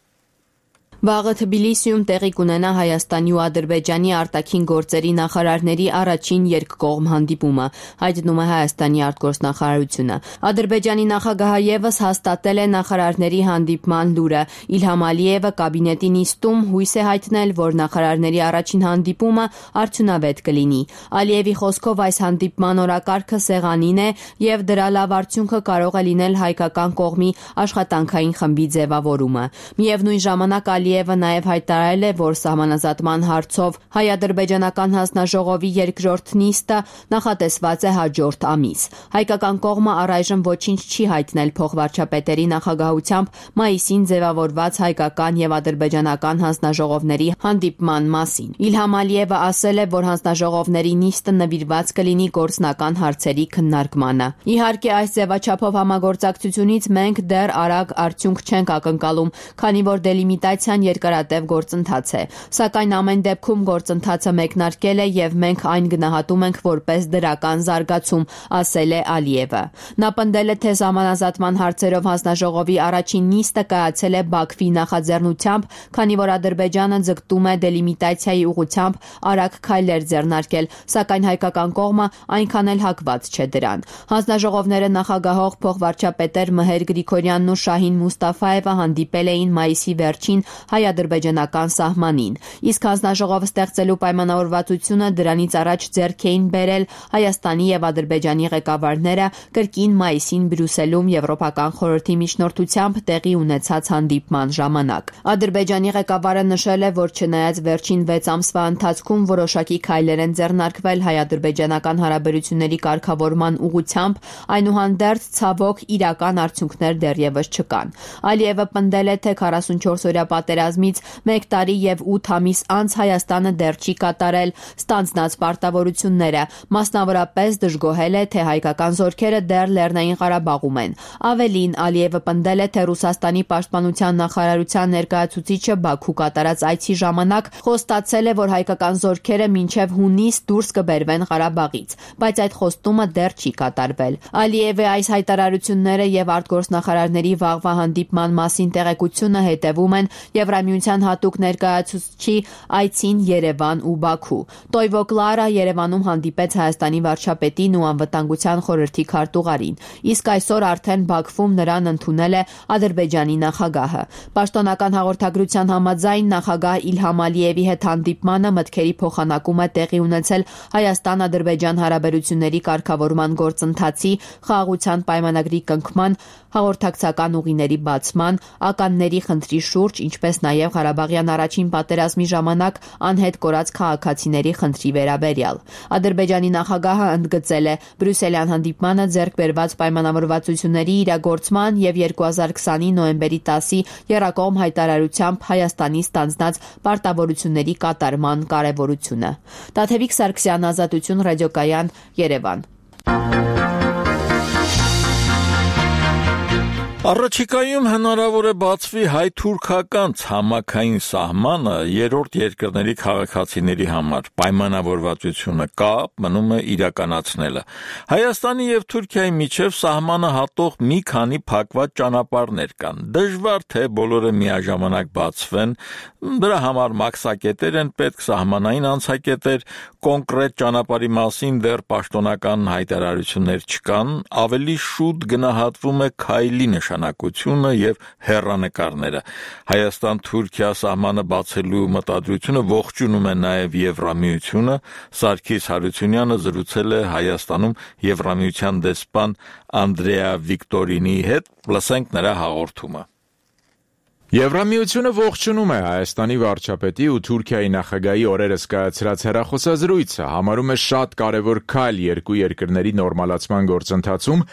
Վաղը Թբիլիսիում տեղի կունենա Հայաստանի ու Ադրբեջանի արտաքին գործերի նախարարների առաջին երկկողմ հանդիպումը, հայտնում է Հայաստանի արտգործնախարարությունը։ Ադրբեջանի նախագահը ևս հաստատել է նախարարների հանդիպման լուրը։ Իլհամ Ալիևը կաբինետի նիստում հույս է հայտնել, որ նախարարների առաջին հանդիպումը արդյունավետ կլինի։ Ալիևի խոսքով այս հանդիպման օրակարգը սեղանին է եւ դրա լավ արդյունքը կարող է լինել հայկական կողմի աշխատանքային խմբի ձևավորումը։ Միևնույն ժամանակ Ալիևը նաև հայտարարել է, որ սահմանազատման հարցով հայ-ադրբեջանական հանձնաժողովի երկրորդ նիստը նախատեսված է հաջորդ ամիս։ Հայկական կողմը առայժմ ոչինչ չի հայտնել փոխվարչապետերի նախագահությամբ մայիսին ձևավորված հայկական եւ ադրբեջանական հանձնաժողովների հանդիպման մասին։ Իլհամ Ալիևը ասել է, որ հանձնաժողովների նիստը նվիրված կլինի գործնական հարցերի քննարկմանը։ Իհարկե, այս ձևաչափով համագործակցությունից մենք դեռ արագ արդյունք չենք ակնկալում, քանի որ դելիմիտացիան երկարատև գործընթաց է, սակայն ամեն դեպքում գործընթացը մեկնարկել է եւ մենք այն գնահատում ենք որպես դրական զարգացում, ասել է Ալիևը։ Նա պնդել է, թե սահմանազատման հարցերով հանձնաժողովի առաջին նիստը կայացել է Բաքվի նախաձեռնությամբ, քանի որ Ադրբեջանը ձգտում է դելիմիտացիայի ուղղությամբ արագ քայլեր ձեռնարկել, սակայն հայկական կողմը այնքան էլ հակված չէ դրան։ Հանձնաժողովները նախագահող փոխվարչապետեր Մհեր Գրիգորյանն ու Շահին Մուստաֆաևը հանդիպել էին մայիսի վերջին հայ-ադրբեջանական սահմանին, իսկ հանձնաժողովը ստեղծելու պայմանավորվածությունը դրանից առաջ ձեռք էին բերել Հայաստանի եւ Ադրբեջանի ղեկավարները կրկին մայիսին Բրյուսելում Եվրոպական խորհրդի միջնորդությամբ տեղի ունեցած հանդիպման ժամանակ։ Ադրբեջանի ղեկավարը նշել է, որ չնայած վերջին 6 ամսվա ընթացքում որոշակի քայլեր են ձեռնարկվել հայ-ադրբեջանական հարաբերությունների կարգավորման ուղղությամբ, այնուհանդերձ ցավոք իրական արդյունքներ դեռևս չկան։ Ալիևը պնդել է, թե 44-օրյա պատերազմից 1 տարի եւ 8 ամիս անց Հայաստանը դեռ չի կատարել ստանձնած պարտավորությունները, մասնավորապես դժգոհել է, թե հայկական զորքերը դեռ Լեռնային Ղարաբաղում են։ Ավելին, Ալիևը պնդել է, թե Ռուսաստանի պաշտպանության նախարարության ներկայացուցիչը Բաքու կատարած այցի ժամանակ խոստացել է, որ հայկական զորքերը մինչև հունիս դուրս կբերվեն Ղարաբաղից, բայց այդ խոստումը դեռ չի կատարվել։ Ալիևը այս հայտարարությունները եւ արտգործնախարարների վաղվա հանդիպման մասին տեղեկությունը հետևում են Եվրամիության հատուկ ներկայացուցչի այցին Երևան ու Բաքու։ Տոյվո Կլարա Երևանում հանդիպեց Հայաստանի վարչապետին ու անվտանգության խորհրդի քարտուղարին, իսկ այսօր արդեն Բաքվում նրան ընդունել է Ադրբեջանի նախագահը։ Պաշտոնական հաղորդագրության համաձայն նախագահ Իլհամ Ալիևի հետ հանդիպմանը մտքերի փոխանակում է տեղի ունեցել Հայաստան-Ադրբեջան հարաբերությունների կարգավորման գործընթացի, խաղաղության պայմանագրի կնքման, հաղորդակցական ուղիների բացման, ականների խնդրի շուրջ, ինչպես նաև Ղարաբաղյան առաջին պատերազմի ժամանակ անհետ կորած քաղաքացիների խնդրի վերաբերյալ։ Ադրբեջանի նախագահը ընդգծել է Բրյուսելյան հանդիպմանը ձեռք բերված պայմանավորվածությունների իրագործման եւ 2020-ի նոյեմբերի 10-ի եռակողմ հայտարարությամբ Հայաստանի ստանձնած պարտավորությունների կատարման կարեւորությունը։ Տաթևիկ Սարգսյան, Ազատություն, ռադիոկայան, Երևան։ Առաջիկայում հնարավոր է բացվի հայ-թուրքական ցամաքային սահմանը երրորդ երկրների քաղաքացիների համար։ Պայմանավորվածությունը կա, մնում է իրականացնելը։ Հայաստանի եւ Թուրքիայի միջև սահմանը հատող մի քանի փակված ճանապարհներ կան։ Դժվար թե բոլորը միաժամանակ բացվեն, դրա համար մաքսակետեր են պետք, սահմանային անցակետեր, կոնկրետ ճանապարհի մասին դեռ պաշտոնական հայտարարություններ չկան, ավելի շուտ գնահատվում է քայլի նշանակությունը եւ հեռանկարները։ Հայաստան-Թուրքիա սահմանը բացելու մտադրությունը ողջունում է նաեւ Եվրամիությունը։ Սարգիս Հարությունյանը զրուցել է Հայաստանում Եվրամիության դեսպան Անդրեա Վիկտորինի հետ, լսենք նրա հաղորդումը։ Եվրամիությունը ողջունում է Հայաստանի վարչապետի ու Թուրքիայի նախագահի օրերս կայացրած հեռախոսազրույցը, համարում է շատ կարևոր քայլ երկու երկրների նորմալացման գործընթացում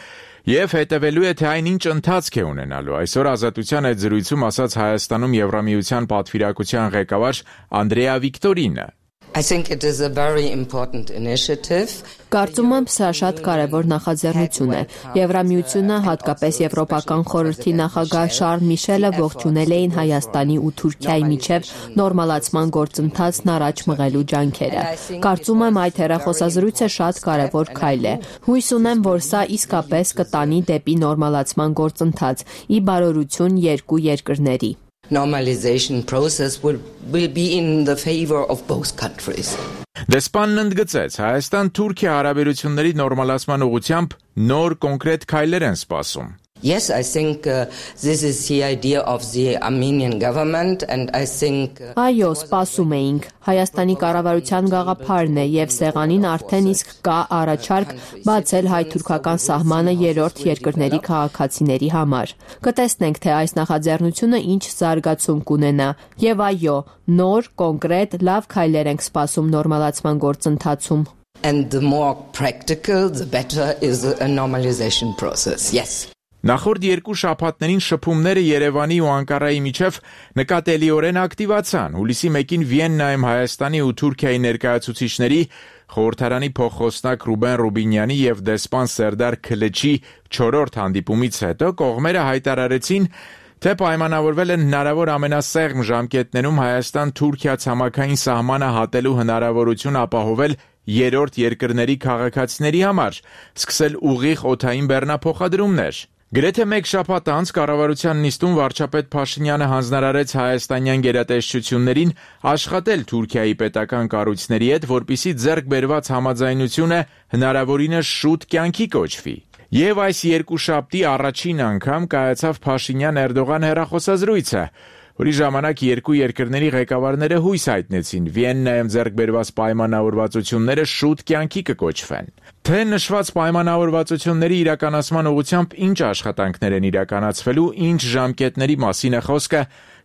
եւ հետևելու է, թե այն ինչ ընթացք է ունենալու։ Այսօր Ազատության այդ զրույցում ասաց Հայաստանում Եվրամիության պատվիրակության ղեկավար Անդրեա Վիկտորինը։ I think it is a very important initiative. Կարծում եմ, սա շատ կարևոր նախաձեռնություն է։ Եվրամիությունը, հատկապես Եվրոպական խորհրդի նախագահ Շարլ Միշելը ողջունել էին Հայաստանի ու Թուրքիայի միջև նորմալացման գործընթացն առաջ մղելու ջանքերը։ Կարծում եմ, այդ հեռախոսազրույցը շատ կարևոր քայլ է։ Հույս ունեմ, որ սա իսկապես կտանի դեպի նորմալացման գործընթաց՝ ի բարօրություն երկու երկրների։ Normalization process will be in the favor of both countries. Դեսպանն ընդգծեց, Հայաստան-Թուրքիա հարաբերությունների նորմալացման ուղղությամբ նոր կոնկրետ քայլեր են սպասում։ Yes, I think this is the idea of the Armenian government and I think Այո, սպասում էինք։ Հայաստանի կառավարության գաղափարն է եւ սեղանին արդեն իսկ կա առաջարկ բացել հայ-թուրքական սահմանը երրորդ երկրների քաղաքացիների համար։ Կտեսնենք, թե այս նախաձեռնությունը ինչ զարգացում կունենա։ Եվ այո, նոր, կոնկրետ, լավ քայլեր ենք սպասում նորմալացման գործընթացում։ And the more practical, the better is a normalization process. Yes. Նախորդ երկու շաբաթներին շփումները Երևանի ու Անկարայի միջև նկատելիորեն ակտիվացան։ Հուլիսի 1-ին Վիեննայում Հայաստանի ու Թուրքիայի ներկայացուցիչների խորհրդարանի փոխխոսնակ Ռուբեն Ռուբինյանի եւ դեսպան Սերդար Քլեչի 4-րդ հանդիպումից հետո կողմերը հայտարարեցին, թե պայմանավորվել են հնարավոր ամենասեղմ ժամկետներում Հայաստան-Թուրքիա ցամաքային սահմանը հատելու հնարավորություն ապահովել երրորդ երկրների քաղաքացիների համար, սկսել ուղիղ օդային բեռնափոխադրումներ։ Գրեթե մեկ շաբաթ անց կառավարության նիստում վարչապետ Փաշինյանը հանձնարարեց հայաստանյան գերատեսչություններին աշխատել Թուրքիայի պետական կառույցների հետ, որպեսզի ձեռք բերված համաձայնությունը հնարավորինս շուտ կյանքի կոչվի։ Եվ այս երկուշաբթի առաջին անգամ կայացավ Փաշինյան-Էրդողան հեռախոսազրույցը, որի ժամանակ երկու երկրների ղեկավարները հույս հայտնեցին Վիեննայում ձեռք բերված պայմանավորվածությունները շուտ կյանքի կկոչվեն։ Թե նշված պայմանավորվածությունների իրականացման ուղղությամբ ինչ աշխատանքներ են իրականացվելու, ինչ ժամկետների մասին է խոսքը,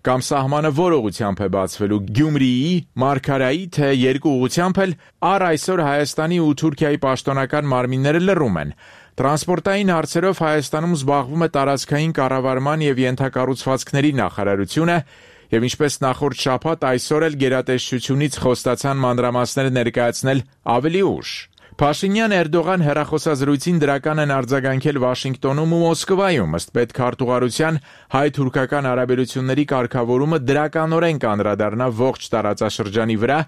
կամ սահմանը որ ուղղությամբ է բացվելու Գյումրիի, Մարգարայի, թե երկու ուղղությամբ էլ այսօր Հայաստանի ու Թուրքիայի պաշտոնական մարմինները լռում են։ Տրանսպորտային հարցերով Հայաստանում զբաղվում է տարածքային կառավարման եւ ենթակառուցվածքների նախարարությունը, Եվ ինչպես նախորդ շաբաթ, այսօր էլ գերատեսչությունից խոստացան մանրամասները ներկայացնել ավելի ուշ։ Փաշինյան-Էրդողան հեռախոսազրույցին դրական են արձագանքել Վաշինգտոնում ու Մոսկվայում, ըստ պետքարտուղարության հայ-թուրքական հարաբերությունների կարգավորումը դրականորեն կանդրադառնա ողջ տարածաշրջանի վրա։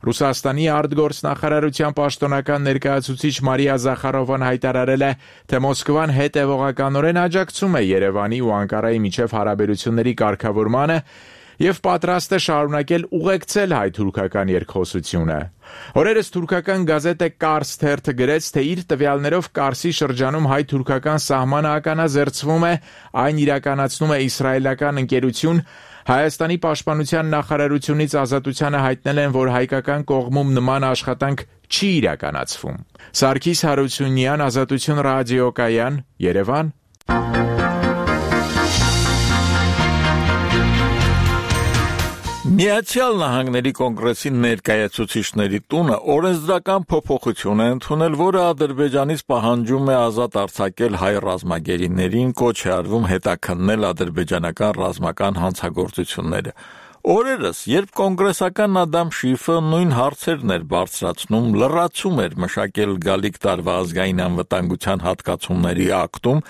Ռուսաստանի արտգործնախարարության պաշտոնական ներկայացուցիչ Մարիա Զախարովան հայտարարել է, թե Մոսկվան հետևողականորեն աջակցում է Երևանի ու Անկարայի միջև հարաբերությունների կարգավորմանը եւ պատրաստ է շարունակել ուղեկցել հայ-թուրքական երկխոսությունը։ Օրերս թուրքական գազետը Կարս թերթը գրեց, թե իր տվյալներով Կարսի շրջանում հայ-թուրքական սահմանը ականազերծվում է, այն իրականացնում է իսրայելական ընկերություն։ Հայաստանի պաշտպանության նախարարությունից Ազատությանը հայտնել են, որ հայկական կողմում նման աշխատանք չի իրականացվում։ Սարգիս Հարությունյան, Ազատություն ռադիոկայան, Երևան։ Միացյալ Նահանգների կոնգրեսի ներկայացուցիչների տունը օրենսդրական փոփոխություն է ընդունել, որը Ադրբեջանից պահանջում է ազատ արձակել հայ ռազմագերիներին, կոչ է արվում հետաքննել ադրբեջանական ռազմական հանցագործությունները։ Օրերս, երբ կոնգրեսական Ադամ Շիֆը նույն հարցերն էր բարձրացնում, լրացում էր մշակել գալիք տարվա ազգային անվտանգության հատկացումների ակտում,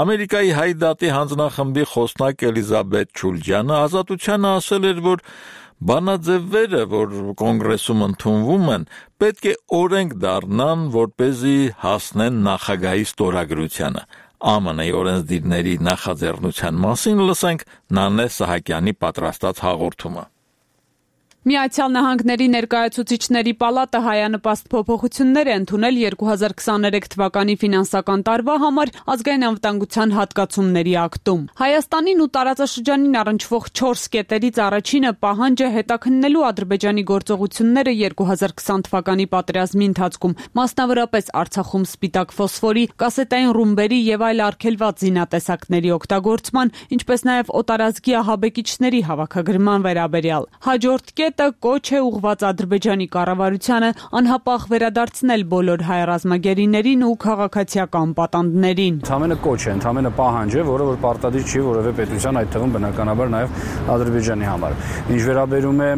Ամերիկայի Հայ դատի հանձնախմբի խոսնակ Էլիզաբեթ Չուլջյանը Ազատությանը ասել էր, որ բանաձևերը, որ կոնգրեսում ընդունվում են, պետք է օրենք դառնան, որպեսզի հասնեն նախագահի ստորագրությանը։ ԱՄՆ-ի օրենսդիրների նախաձեռնության մասին լսենք Նանե Սահակյանի պատրաստած հաղորդումը։ Միացյալ Նահանգների ներկայացուցիչների պալատը հայանպաստ փոփոխություններ է ընդունել 2023 թվականի ֆինանսական տարվա համար ազգային անվտանգության հատկացումների ակտում։ Հայաստանին ու տարածաշրջանին առնչվող 4 կետերից առաջինը պահանջը հետաքննելու Ադրբեջանի գործողությունները 2020 թվականի պատերազմի ընթացքում, մասնավորապես Արցախում սպիտակ ֆոսֆորի, կասետային ռումբերի եւ այլ արգելված զինատեսակների օգտագործման, ինչպես նաեւ օտարազգի ահաբեկիչների հավաքագրման վերաբերյալ։ Հաջորդ կոչ է ուղղված Ադրբեջանի կառավարությանը անհապաղ վերադարձնել բոլոր հայ ռազմագերիներին ու քաղաքացիական պատանդներին։ Ընդամենը կոչ է, ընդամենը պահանջ է, որը որ պարտադիր չի որևէ պետության, այդ թվում բնականաբար նաև Ադրբեջանի համար։ Ինչ վերաբերում է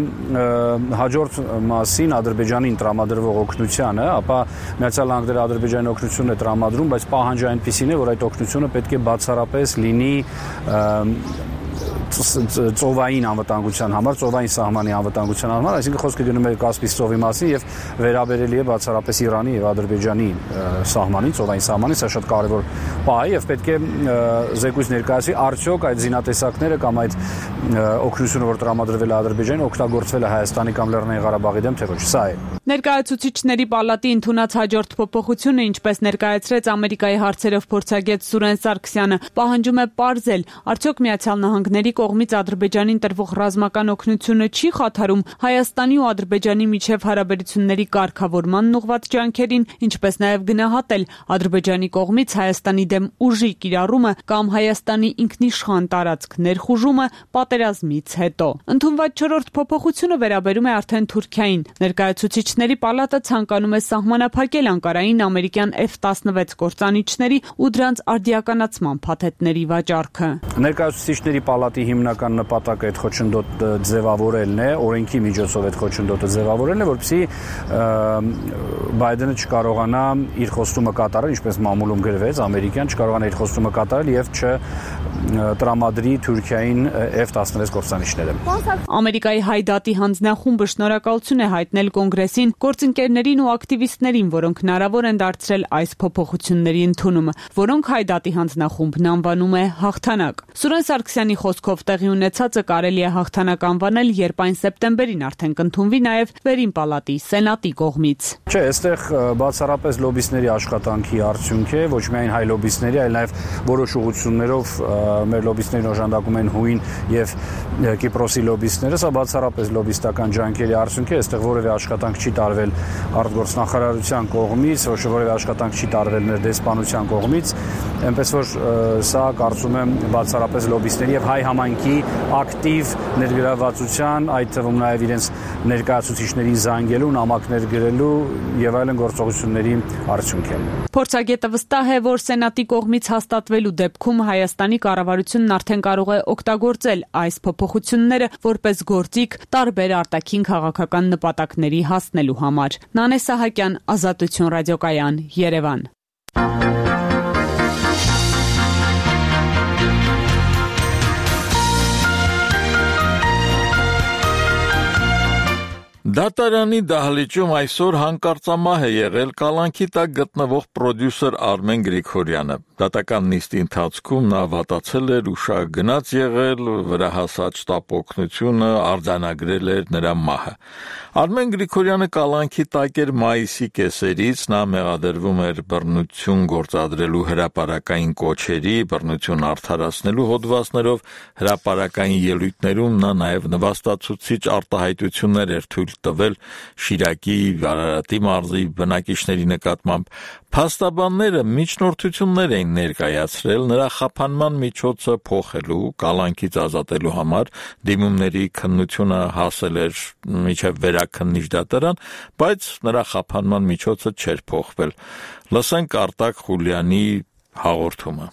հաջորդ մասին Ադրբեջանին տրամադրվող օգնությանը, ապա Միացյալ Նահանգները Ադրբեջանի օգնությունն է տրամադրում, բայց պահանջը այնպիսին է, որ այդ օգնությունը պետք է բացառապես լինի ծովային անվտանգության համար, ծովային սահմանի անվտանգության համար, այսինքն խոսքը գնում է Կասպից ծովի մասին եւ վերաբերելի է բացառապես Իրանի եւ Ադրբեջանի սահմանին, ծովային սահմանին, սա շատ կարեւոր պահ է եւ պետք է զեկույց ներկայացվի, արդյոք այդ զինատեսակները կամ այդ օգնությունը, որ տրամադրվել է Ադրբեջանին, օգտագործվել է Հայաստանի կամ Լեռնային Ղարաբաղի դեմ, թե ոչ, սա է։ Ներկայացուցիչների պալատի ընդունած հաջորդ փոփոխությունը, ինչպես ներկայացրեց Ամերիկայի հարցերով փորձագետ Սուրեն Սարգսյանը, պահանջում է պարզել, արդյոք Միացյալ Նահանգների կողմից Ադրբեջանին տրվող ռազմական օգնությունը չի խաթարում Հայաստանի ու Ադրբեջանի միջև հարաբերությունների կարգավորմանն ուղղված ջանքերին, ինչպես նաև գնահատել Ադրբեջանի կողմից Հայաստանի դեմ ուժի կիրառումը կամ Հայաստանի ինքնիշխան տարածք ներխուժումը պատերազմից հետո։ Ընդունված 4-րդ փոփոխությունը վերաբերում է արդեն Թուրքիային։ Ներկայացուցիչների պալատը ցանկանում է սահմանափակել Անկարային ամերիկյան F-16 կործանիչների ու դրանց արդիականացման փաթեթների վաճառքը։ Ներկայացուցիչների պալատի հիմնական նպատակը այդ խոչընդոտը ձևավորելն է, օրենքի միջոցով այդ խոչընդոտը ձևավորելն է, որպեսզի Բայդենը չկարողանա իր խոստումը կատարել, ինչպես մամուլում գրվեց, ամերիկյան չկարողանա իր խոստումը կատարել եւ չտրամադրի Թուրքիային F-16 կործանիչները։ Ամերիկայի Հայ դատի հանձնախումբը շնորհակալություն է հայտնել կոնգրեսին, գործընկերներին ու ակտիվիստներին, որոնք հնարավոր են դարձրել այս փոփոխությունների ընդունումը, որոնք Հայ դատի հանձնախումբն անվանում է հաղթանակ։ Սուրեն Սարգսյանի խոսքով տեղի ունեցածը կարելի է հաղթանակ անվանել, երբ այն սեպտեմբերին արդեն կընդունվի նաև վերին պալատի սենատի կողմից։ Չէ, այստեղ բացառապես լոբիստների աշխատանքի արդյունք է, ոչ միայն հայ լոբիստների, այլ նաև որոշ ուղղություններով մեր լոբիստերին օժանդակում են հույն եւ Կիպրոսի լոբիստները, սա բացառապես լոբիստական ջանքերի արդյունք է, այստեղ որևէ աշխատանք չի տարվել արտգործնախարարության կողմից, որևէ աշխատանք չի տարվել մեր դեսպանության կողմից, այնպես որ սա կարծում եմ բացառապես լոբիստների եւ հայ քաղաքի ակտիվ ներգրավվածության, այդ թվում նաև իրենց ներկայացուցիչներին զանգելու, նամակներ գրելու եւ այլն գործողությունների արդյունք է։ Փորձագետը վստահ է, որ Սենատի կողմից հաստատվելու դեպքում Հայաստանի կառավարությունն արդեն կարող է օգտագործել այս փոփոխությունները որպես գործիք տարբեր արտաքին քաղաքական նպատակների հասնելու համար։ Նանե Սահակյան, Ազատություն ռադիոկայան, Երևան։ Դատարանի դահլիճում այսօր հանկարծամահ է եղել կալանքի տակ գտնվող պրոդյուսեր Արմեն Գրիգորյանը։ Դատական նիստի ընթացքում նա վատացել էր, ուշագ գնաց եղել, վրա հասած շտապօգնությունը արձանագրել էր նրա մահը։ Արմեն Գրիգորյանը կալանքի տակ էր մայիսի կեսերից, նա մեղադրվում էր բռնություն գործադրելու հրապարակային կոչերի, բռնություն արդարացնելու հոդվածներով, հրապարակային ելույթներում նա նաև նվաստացուցիչ արտահայտություններ էր թույլ տվել Շիրակի, Արարատի մարզի բնակիչների նկատմամբ։ Փաստաբանները միջնորդություններ էին ներկայացրել նրա խափանման միջոցը փոխելու, կալանքից ազատելու համար, դիմումների քննությունը հասել էր մինչև վերաքննիչ դատարան, բայց նրա խափանման միջոցը չէր փոխվել։ Լսենք Արտակ Խուլյանի հաղորդումը։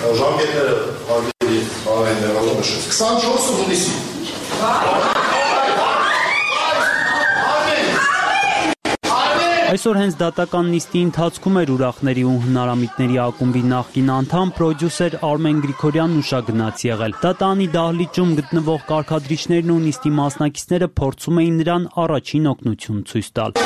Ժամկետները հարգելի բարեկամներ, ողջունում 24 հունիսի։ Այսօր հենց դատական նիստի ընթացքում էր ուրախների ու հնարամիտների ակումբի նախկին անդամ պրոդյուսեր Արմեն Գրիգորյանն ուշագնաց եղել։ Դատարանի դահլիճում գտնվող կարգադրիչներն ու նիստի մասնակիցները փորձում էին նրան առաջին օգնություն ցույց տալ։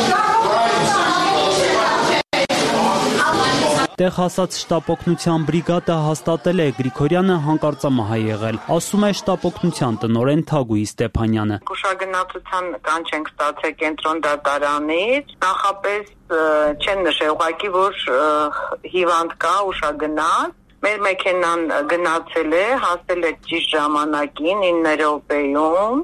Տեղ հասած շտապօգնության բրիգադը հաստատել է Գրիգորյանը հանկարծամահ է եղել, ասում է շտապօգնության տնօրեն Թագուհի Ստեփանյանը։ Ուշագնացության կանչ ենք ստացել կենտրոն դատարանից, նախապես չեն նշել, ուղղակի որ հիվանդ կա, ուշագնաց։ Մեր մեքենան գնացել է, հասել է ճիշտ ժամանակին 9 րոպեում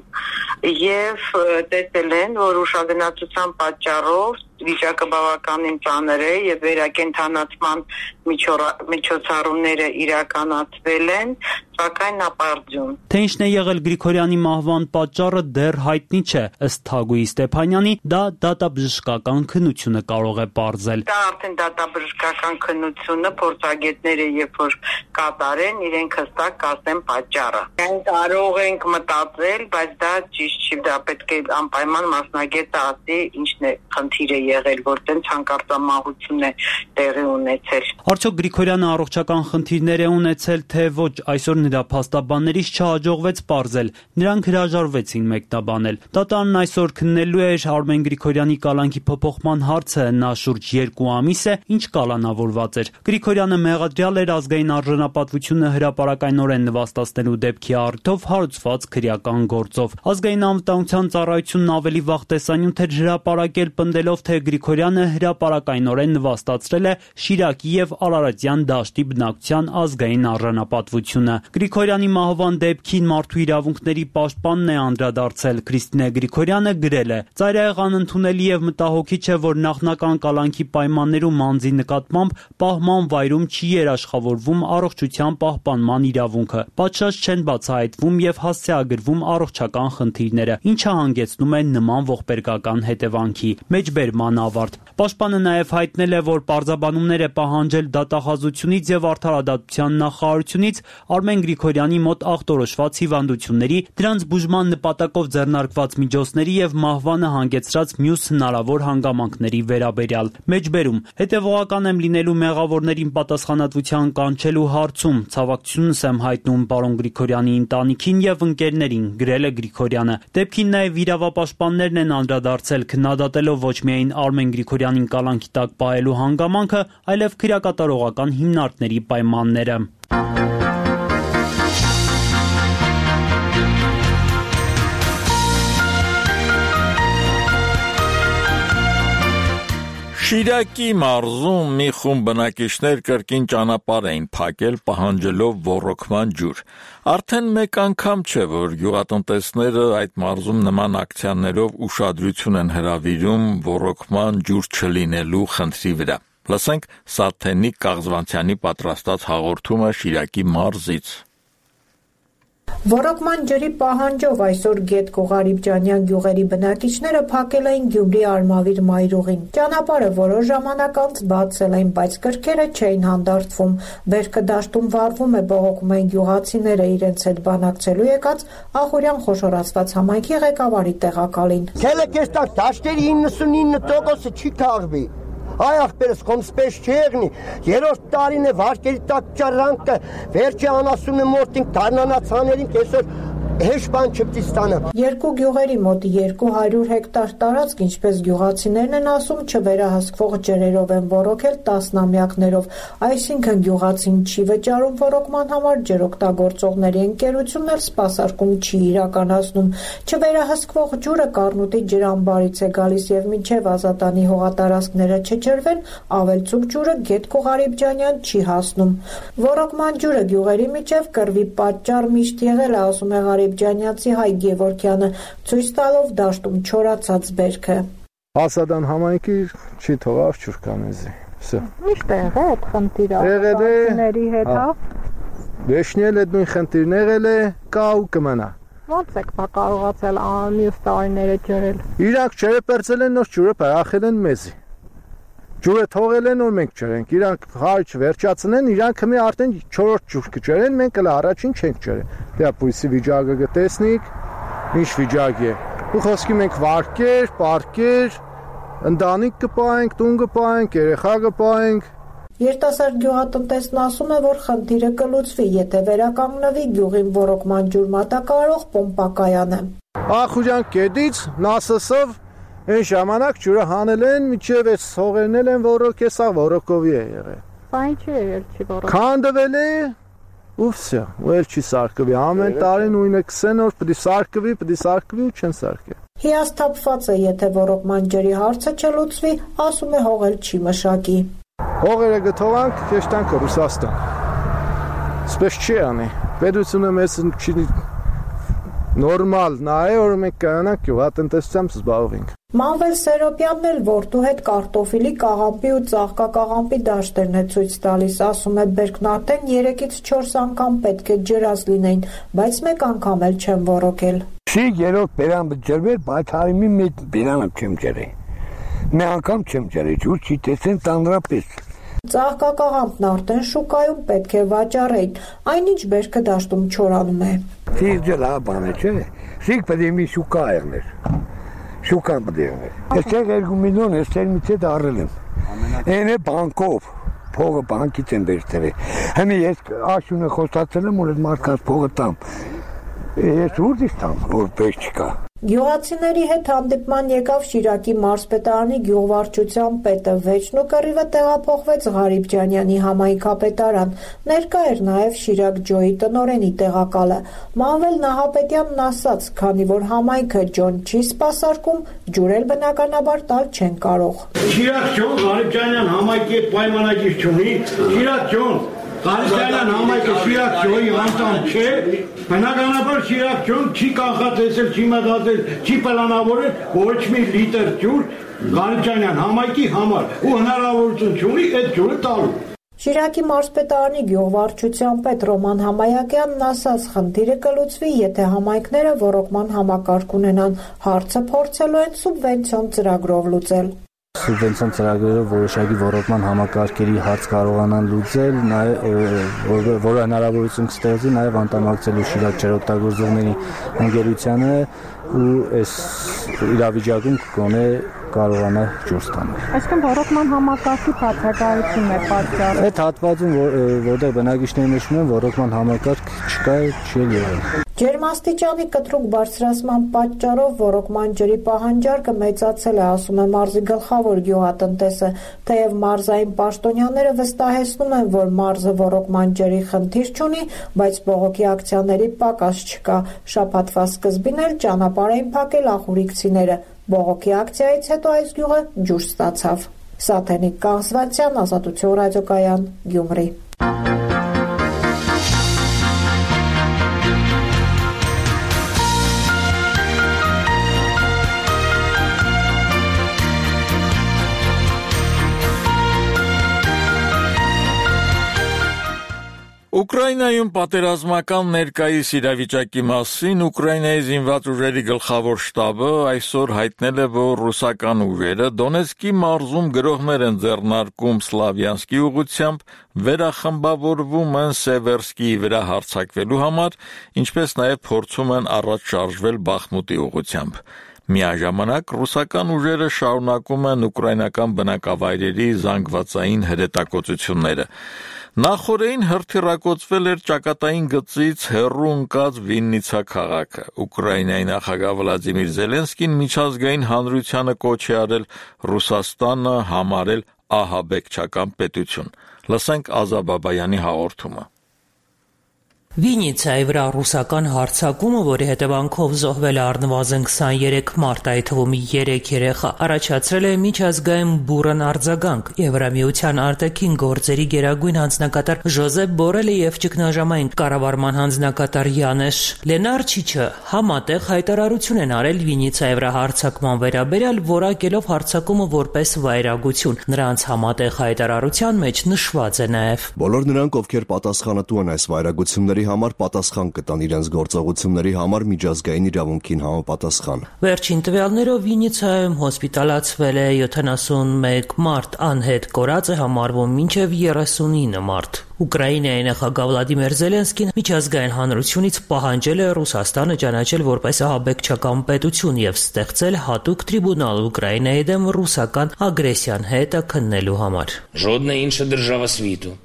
եւ տեսել են, որ ուշագնացության պատճառով վիճակը բավականին ծանր է եւ վերակենդանացման միջոցառումները իրականացվել են, սակայն ապարդյուն։ Թե ինչն է եղել Գրիգորյանի մահվան պատճառը դեռ հայտնի չէ, ըստ Թագուհի Ստեփանյանի, դա դատաբժշկական քննությունը կարող է պարզել։ Դա արդեն դատաբժշկական քննությունը փորձագետները երբ որ կատարեն, իրենք հստակ կասեն պատճառը։ Մենք կարող ենք մտածել, բայց դա ճիշտ չի, դա պետք է անպայման մասնագետը ասի ինչն է խնդիրը եղել, որտեղ հանկարծամահություն է տեղի ունեցել։ Արդյոք Գրիգորյանը առողջական խնդիրներ է ունեցել, թե ոչ, այսօր նրա փաստաբաններից չհաջողվեց պարզել, նրանք հրաժարվեցին մեկնաբանել։ Դատարանն այսօր քննելու էր Արմեն Գրիգորյանի կալանքի փոփոխման հարցը, նա շուրջ 2 ամիս է, ինչ կալանավորված էր։ Գրիգորյանը մեղադրյալ էր ազգային արժանապատվությունը հրապարակայնորեն նվաստացնելու դեպքի առիթով հարուցված քրեական գործով։ Ազգային անվտանգության ծառայությունն ավելի վաղ տեսանյութ էր հրապարակել, պնդելով, թե Գրիգորյանը հրապարակայնորեն նվաստացրել է Շիրակի եւ Արարատյան դաշտի բնակության ազգային արժանապատվությունը։ Գրիգորյանի մահվան դեպքին մարդու իրավունքների պաշտպանն է անդրադարձել։ Քրիստինե Գրիգորյանը գրել է. «Ծայրահեղ անընդունելի եւ մտահոգիչ է, որ նախնական կալանքի պայմաններում անձի նկատմամբ պահման վայրում չի երաշխավորվում առողջության պահպանման իրավունքը։ Պատշաճ չեն բացահայտվում եւ հասցեագրվում առողջական խնդիրները, ինչը հանգեցնում է նման ողբերգական հետևանքի»։ Մեջբերման ավարտ։ Պաշտպանը նաև հայտնել է, որ պարզաբանումներ է պահանջել դատախազությունից եւ արդարադատության նախարարությունից Արմեն Գրիգորյանի մոտ ախտորոշված հիվանդությունների, դրանց բուժման նպատակով ձեռնարկված միջոցների եւ մահվանը հանգեցրած մյուս հնարավոր հանգամանքների վերաբերյալ։ Մեջբերում. հետեւողական եմ լինելու մեղավորներին պատասխանատվության կանչելու հարցում, ցավակցությունս եմ հայտնում պարոն Գրիգորյանի ընտանիքին եւ ընկերներին, գրել է Գրիգորյանը։ Դեպքին նաև իրավապաշտպաններն են անդրադարձել, քննադատելով ոչ միայն Արմեն Գրիգորյանին կալանքի տակ պահելու հանգամանքը, այլև քրեակատարողական հիմնարկների պայմանները։ Շիրակի մարզում մի խումբ բնակիչներ կրկին ճանապարհ էին փակել պահանջելով ոռոգման ջուր։ Արդեն մեկ անգամ չէ, որ գյուղատնտեսները այդ մարզում նման ակցիաներով ուշադրություն են հրավիրում ոռոգման ջուր չլինելու խնդրի վրա։ Լսենք Սաթենիկ Կաղզվանցյանի պատրաստած հաղորդումը Շիրակի մարզից։ Ոռոգման ջրի պահանջով այսօր Գետկո Ղարիբջանյան գյուղերի բնակիչները փակել էին Գյումրի Արմավիր մայրուղին։ Ճանապարհը որոշ ժամանակ անց բացել էին, բայց կրքերը չէին հանդարտվում։ Բերքը դաշտում վառվում է, բողոքում են գյուղացիները իրենց հետ բանակցելու եկած Ախուրյան խոշորացված համայնքի ղեկավարի տեղակալին։ Քելեկեստա դաշտերի 99% չի քաղվի։ Այ ախպերս կոնսպեշ չի եղնի, երորդ տարին է վարկերի տակ ճարանքը, վերջի անասում է մորտին դարնանացաներին կեսոր հեշ բան չպտի ստանա։ Երկու գյուղերի մոտ 200 հեկտար տարածք, ինչպես գյուղացիներն են ասում, չվերահսկվող ջրերով են ոռոգել տասնամյակներով, այսինքն գյուղացին չի վճարում ոռոգման համար, ջրօգտագործողների ընկերությունն էլ սպասարկում չի իրականացնում։ Չվերահսկվող ջուրը Կառնուտի ջրամբարից է գալիս եւ մինչեւ Ազատանի հողատարածքները չջրվեն, ավելցուկ ջուրը Գետկո Ղարիբջանյան չի հասնում։ Ոռոգման ջուրը գյուղերի միջև կռվի պատճառ միշտ եղել է, ասում է Ղարիբջանյացի Հայ Գևորգյանը, ցույց տալով դաշտում չորացած բերքը։ Ասադան համայնքի չի թողավ ջուր կանեզի։ Всё։ Միշտ եղել է այդ խնդիրը աղբյուրների հետ, հա։ Վերջնել այդ նույն խնդիրն եղել է, կա ու կմնա։ Ոնց եք կարողացել մյուս տարիները ջրել։ Իրանք ջրը պերծել են, նոր ջուրը պարախել են մեզի։ Ջուրը թողել են, որ մենք ջրենք, իրանք հարճ վերջացնեն, իրանք մի արդեն 4-րդ ջուր կջրեն, մենք էլ առաջին չենք ջրել։ Դե պույսի վիճակը գտեսնիկ, ինչ վիճակ է։ Ու խոսքի մենք վարկեր, պարկեր, ընտանիք կպահենք, տուն կպահենք, երեխա կպահենք։ Երիտասարդ գյուղատնտեսն ասում է, որ խնդիրը կլուծվի, եթե վերականգնվի գյուղին ոռոգման ջուր մատակարարող պոմպակայանը։ Ախուրյան կետից նասսով այն ժամանակ ջուրը հանել են, միջև այս հողերն են ոռոգ, սա ոռոգովի է եղել։ Բա ինչի է չի ոռոգ։ Քանդվել է ու վсё, ու էլ չի սարկվի։ Ամեն տարի նույնը 20 օր պիտի սարկվի ու չեն սարկել։ Հիասթափված է, եթե ոռոգման ջրի հարցը չլուծվի, ասում է հողել չի մշակի։ Հողերը գտովանք, քեշտանք Ռուսաստան։ Սպես չի անի։ Պետությունը մեզ չի նորմալ նայ, որ մենք կանանք գյուղատնտեսությամբ զբաղվենք։ Մանվել Սերոպյանն էլ որդու հետ կարտոֆիլի, կաղամբի ու ծաղկակաղամբի դաշտերն է ցույց տալիս, ասում է Բերքն արդեն 3-ից 4 անգամ պետք է ջրած լինեին, բայց մեկ անգամ էլ չեմ ոռոգել։ Չի երրորդ բերանը ջրվել, բայց հարիմի մեծ բերանը չեմ ջրել։ Մի անգամ չեմ ջրել, ջուր չի տեսեն տանրապես։ Ծաղկակաղամբն արդեն շուկայում պետք է վաճառեին, այնինչ Բերքը դաշտում չորանում է։ Սիրջել հա բանը չէ, սիկ պետք է մի շուկա եղներ։ Շուկան պետք է եղներ։ Այստեղ 2 միլիոն էստեր միցե դարել եմ։ Այն է բանկով, փողը բանկից են վերցրել։ Հիմա ես աշունը խոստացել եմ, որ այդ մարդկանց փողը տամ։ Ես ուր դիստամ, որ պետք չկա։ Գյուղացիների հետ հանդիպման եկավ Շիրակի մարզպետարանի գյուղվարչության պետը, վերջնու կռիվը տեղափոխվեց Ղարիբջանյանի համայնքապետարան, ներկա էր նաև Շիրակ ջոյի տնօրենի տեղակալը։ Մանվել Նահապետյանն ասաց, քանի որ համայնքը ջոն չի սպասարկում, ջուրել բնականաբար տալ չեն կարող։ Շիրակ ջոն Ղարիբջանյան համայնքի պայմանագիր չունի, Շիրակ ջոն Ղարիբջանյան համայնքը Շիրակ ջոյի անդամ չէ, բնականաբար Շիրակ ջոն չի կանխատեսել, չի մտածել, չի պլանավորել ոչ մի լիտր ջուր Ղարիբջանյան համայնքի համար ու հնարավորություն չունի այդ ջուրը տալու։ Շիրակի մարզպետարանի գյուղվարչության պետ Ռոման Համայակյանն ասաց, խնդիրը կլուծվի, եթե համայնքները ոռոգման համակարգ ունենան, հարցը փորձելու են սուբվենցիոն ծրագրով լուծել։ Սուբվենցիոն ծրագրերով որոշակի ոռոգման համակարգերի հարց կարողանան լուծել, որը հնարավորություն կստեղծի նաև անդամակցելու Շիրակ ջրօգտագործողների ընկերությանը ու այս իրավիճակում կգոնե կարողանա ջուր ստանալ։ Այսինքն ոռոգման համակարգի բացակայությունն է պատճառը։ Այդ հատվածում, որտեղ բնակիչները նշում են, ոռոգման համակարգ չկա, չի եղել։ Ջերմաստիճանի կտրուկ բարձրացման պատճառով ոռոգման ջրի պահանջարկը մեծացել է, ասում է մարզի գլխավոր գյուղատնտեսը, թեև մարզային պաշտոնյաները վստահեցնում են, որ մարզը ոռոգման ջրի խնդիր չունի, բայց բողոքի ակցիաների պակաս չկա։ Շաբաթվա սկզբին էլ ճանապարհ էին փակել ախուրիկցիները։ Բողոքի ակցիայից հետո այս գյուղը ջուր ստացավ։ Սաթենիկ Կանսվանցյան, Ազատություն ռադիոկայան, Գյումրի։ Ուկրաինայում պատերազմական ներկայիս իրավիճակի մասին Ուկրաինայի զինված ուժերի գլխավոր շտաբը այսօր հայտնել է, որ ռուսական ուժերը Դոնեցկի մարզում գրոհներ են ձեռնարկում Սլավյանսկի ուղղությամբ, վերախմբավորվում են Սևերսկիի վրա հարձակվելու համար, ինչպես նաև փորձում են առաջ շարժվել Բախմուտի ուղղությամբ։ Միաժամանակ ռուսական ուժերը շարունակում են ուկրաինական բնակավայրերի զանգվածային հրետակոծությունները։ Նախորդին հրթիռակոծվել էր ճակատային գծից հեռու ընկած Վիննիցա քաղաքը։ Ուկրաինայի նախագահ Վլադիմիր Զելենսկին միջազգային հանրությանը կոչ է արել Ռուսաստանը համարել ահաբեկչական պետություն։ Լսենք Ազա Բաբայանի հաղորդումը։ Վիննիցայի վրա ռուսական հարձակումը, որի հետևանքով զոհվել է առնվազն 23 մարդ, այդ թվում 3 երեխա, առաջացրել է միջազգային բուռն արձագանք։ Եվրամիության արտաքին գործերի գերագույն հանձնակատար Ժոզեփ Բորելը եւ ճգնաժամային կառավարման հանձնակատար Յանեշ Լենարչիչը համատեղ հայտարարություն են արել Վիննիցայի վրա հարձակման վերաբերյալ, որակելով հարձակումը որպես վայրագություն։ Նրանց համատեղ հայտարարության մեջ նշված է նաեւ. Բոլոր նրանք, ովքեր պատասխանատու են այս վայրագությունների համար պատասխան կտան իրենց գործողությունների համար միջազգային իրավունքին համապատասխան։ Վերջին տվյալներով Վիննիցայում հոսպիտալացվել է 71 մարդ, անհետ կորած է համարվում մինչև 39 մարդ։ Ուկրաինայի նախագահ Վլադիմիր Զելենսկին միջազգային հանրությունից պահանջել է Ռուսաստանը ճանաչել որպես ահաբեկչական պետություն եւ ստեղծել հատուկ տրիբունալ Ուկրաինայի դեմ ռուսական ագրեսիան հետը քննելու համար։ Жодна інша держава світу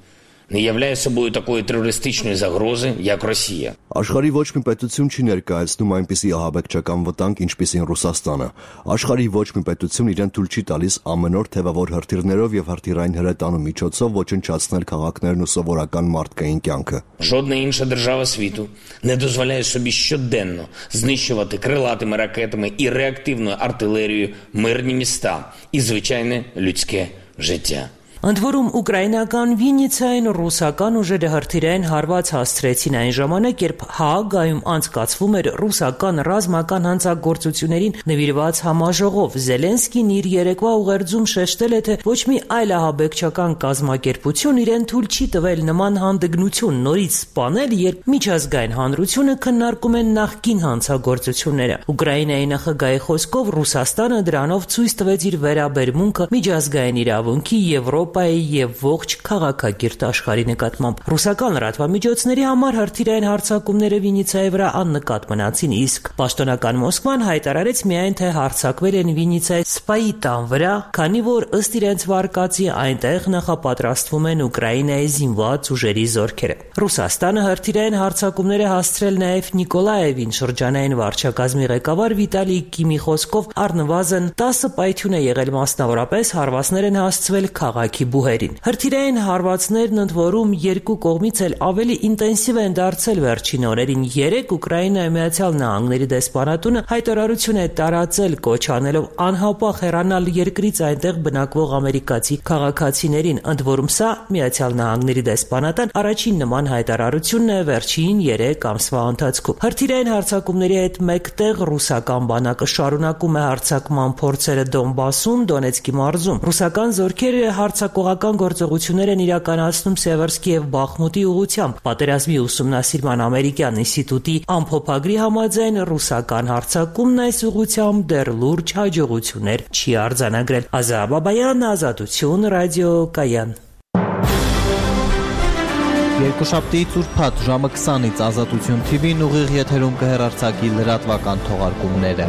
не являє собою такої терористичної загрози, як Росія. Աշխարհի ոչ մի պետություն չի ներկայացնում այնպիսի ահաբեկչական վտանգ, ինչպիսին Ռուսաստանը։ Աշխարհի ոչ մի պետություն իրեն թույլ չի տալիս ամեն օր թևավոր հրթիռներով եւ հրթիռային հրետանու միջոցով ոչնչացնել քաղաքներն ու սովորական մարդկային кյանքը։ Жодна інша держава світу не дозволяє собі щоденно знищувати крилатими ракетами і реактивною артилерією мирні міста і звичайне людське життя. Ընդ որում ուկրաինական Վիննիցային ռուսական ուժերը հրթիռային հարված հասցրեցին այն ժամանակ, երբ Հաագայում անցկացվում էր ռուսական ռազմական հանցագործություններին նվիրված համաժողով։ Զելենսկին իր երեկվա ուղերձում շեշտել է, թե ոչ մի այլ ահաբեկչական կազմակերպություն իրեն թույլ չի տվել նման հանդգնություն նորից սպանել, երբ միջազգային հանրությունը քննարկում է նախկին հանցագործությունները։ Ուկրաինայի նախագահի խոսքով Ռուսաստանը դրանով ցույց տվեց իր վերաբերմունքը միջազգային իրավունքի, եւ ողջ քաղաքագիրտ աշխարհի նկատմամբ։ Ռուսական լրատվամիջոցների համար հրթիռային հարձակումները Վիննիցայի վրա աննկատ մնացին, իսկ պաշտոնական Մոսկվան հայտարարեց միայն, թե հարձակվել են Վիննիցայի սպայի տան վրա, քանի որ ըստ իրենց վարկածի այնտեղ նախապատրաստվում են Ուկրաինայի զինված ուժերի զորքերը։ Ռուսաստանը հրթիռային հարձակումներ է հասցրել նաեւ Նիկոլաևին, շրջանային վարչակազմի ղեկավար Վիտալի Կիմի խոսքով առնվազն 10 պայթյուն է եղել, մասնավորապես հարվածներ են հասցվել քաղաքի բուհերին։ Հրթիռային հարվածներն ընդ որում երկու կողմից էլ ավելի ինտենսիվ են դարձել վերջին օրերին։ 3 Ուկրաինայի Միացյալ Նահանգների դեսպանատունը հայտարարություն է տարածել, կոչ անելով անհապաղ հեռանալ երկրից այնտեղ բնակվող ամերիկացի քաղաքացիներին։ Ընդ որում սա Միացյալ Նահանգների դեսպանատան առաջին նման հայտարարությունն է վերջին 3 ամսվա ընթացքում։ Հրթիռային հարձակումների հետ մեկտեղ ռուսական բանակը շարունակում է հարձակման փորձերը Դոնբասում, Դոնեցկի մարզում։ Ռուսական զորքերը հարձակողական գործողություններ են իրականացնում Սևերսկի եւ Բախմուտի ուղղությամբ։ Պատերազմի ուսումնասիրման ամերիկյան ինստիտուտի ամփոփագրի համաձայն ռուսական հարձակումն այս ուղղությամբ դեռ լուրջ հաջողություններ չի արձանագրել։ Ազա Բաբայան, Ազատություն, ռադիոկայան։ Երկուշաբթիից ուրբաթ ժամը 20-ից Ազատություն TV-ն ուղիղ եթերում կհեռարձակի լրատվական թողարկումները։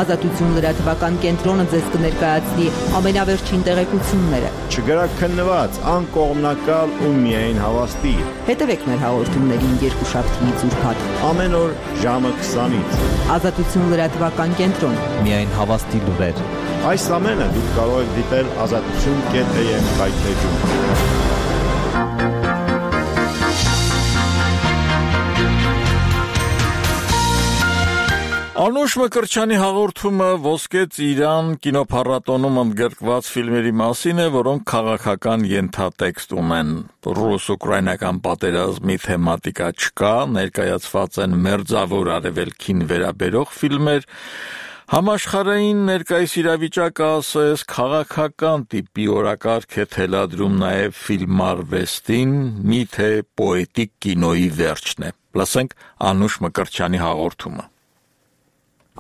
Ազատություն լրատվական կենտրոնը ձեզ կներկայացնի ամենավերջին տեղեկությունները։ Չգրակ քննված, անկողմնակալ ու միայն հավաստի։ Հետևեք մեր հաղորդումներին երկուշաբթիից ուրբաթ ամեն օր ժամը 20-ից։ Ազատություն լրատվական կենտրոն։ Միայն հավաստի լուրեր։ Այս ամենը դուք կարող եք դիտել azatutun.am կայքեջում։ Անուշ Մկրտչյանի հաղորդումը Ոսկե Ծիրան կինոփառատոնում ընդգրկված ֆիլմերի մասին է, որոնք քաղաքական ենթատեքստ ունեն։ Ռուս-ուկրաինական պատերազմի թեմատիկա չկա, ներկայացված են մերձավոր արևելքին վերաբերող ֆիլմեր, Համաշխարհային ներկայիս իրավիճակը ասես քաղաքական տիպի օրակարգ է թելադրում նաև ֆիլմարվեստին, միթե պոետիկ կինոյի վերջն է։ Լսենք Անուշ Մկրտչյանի հաղորդումը։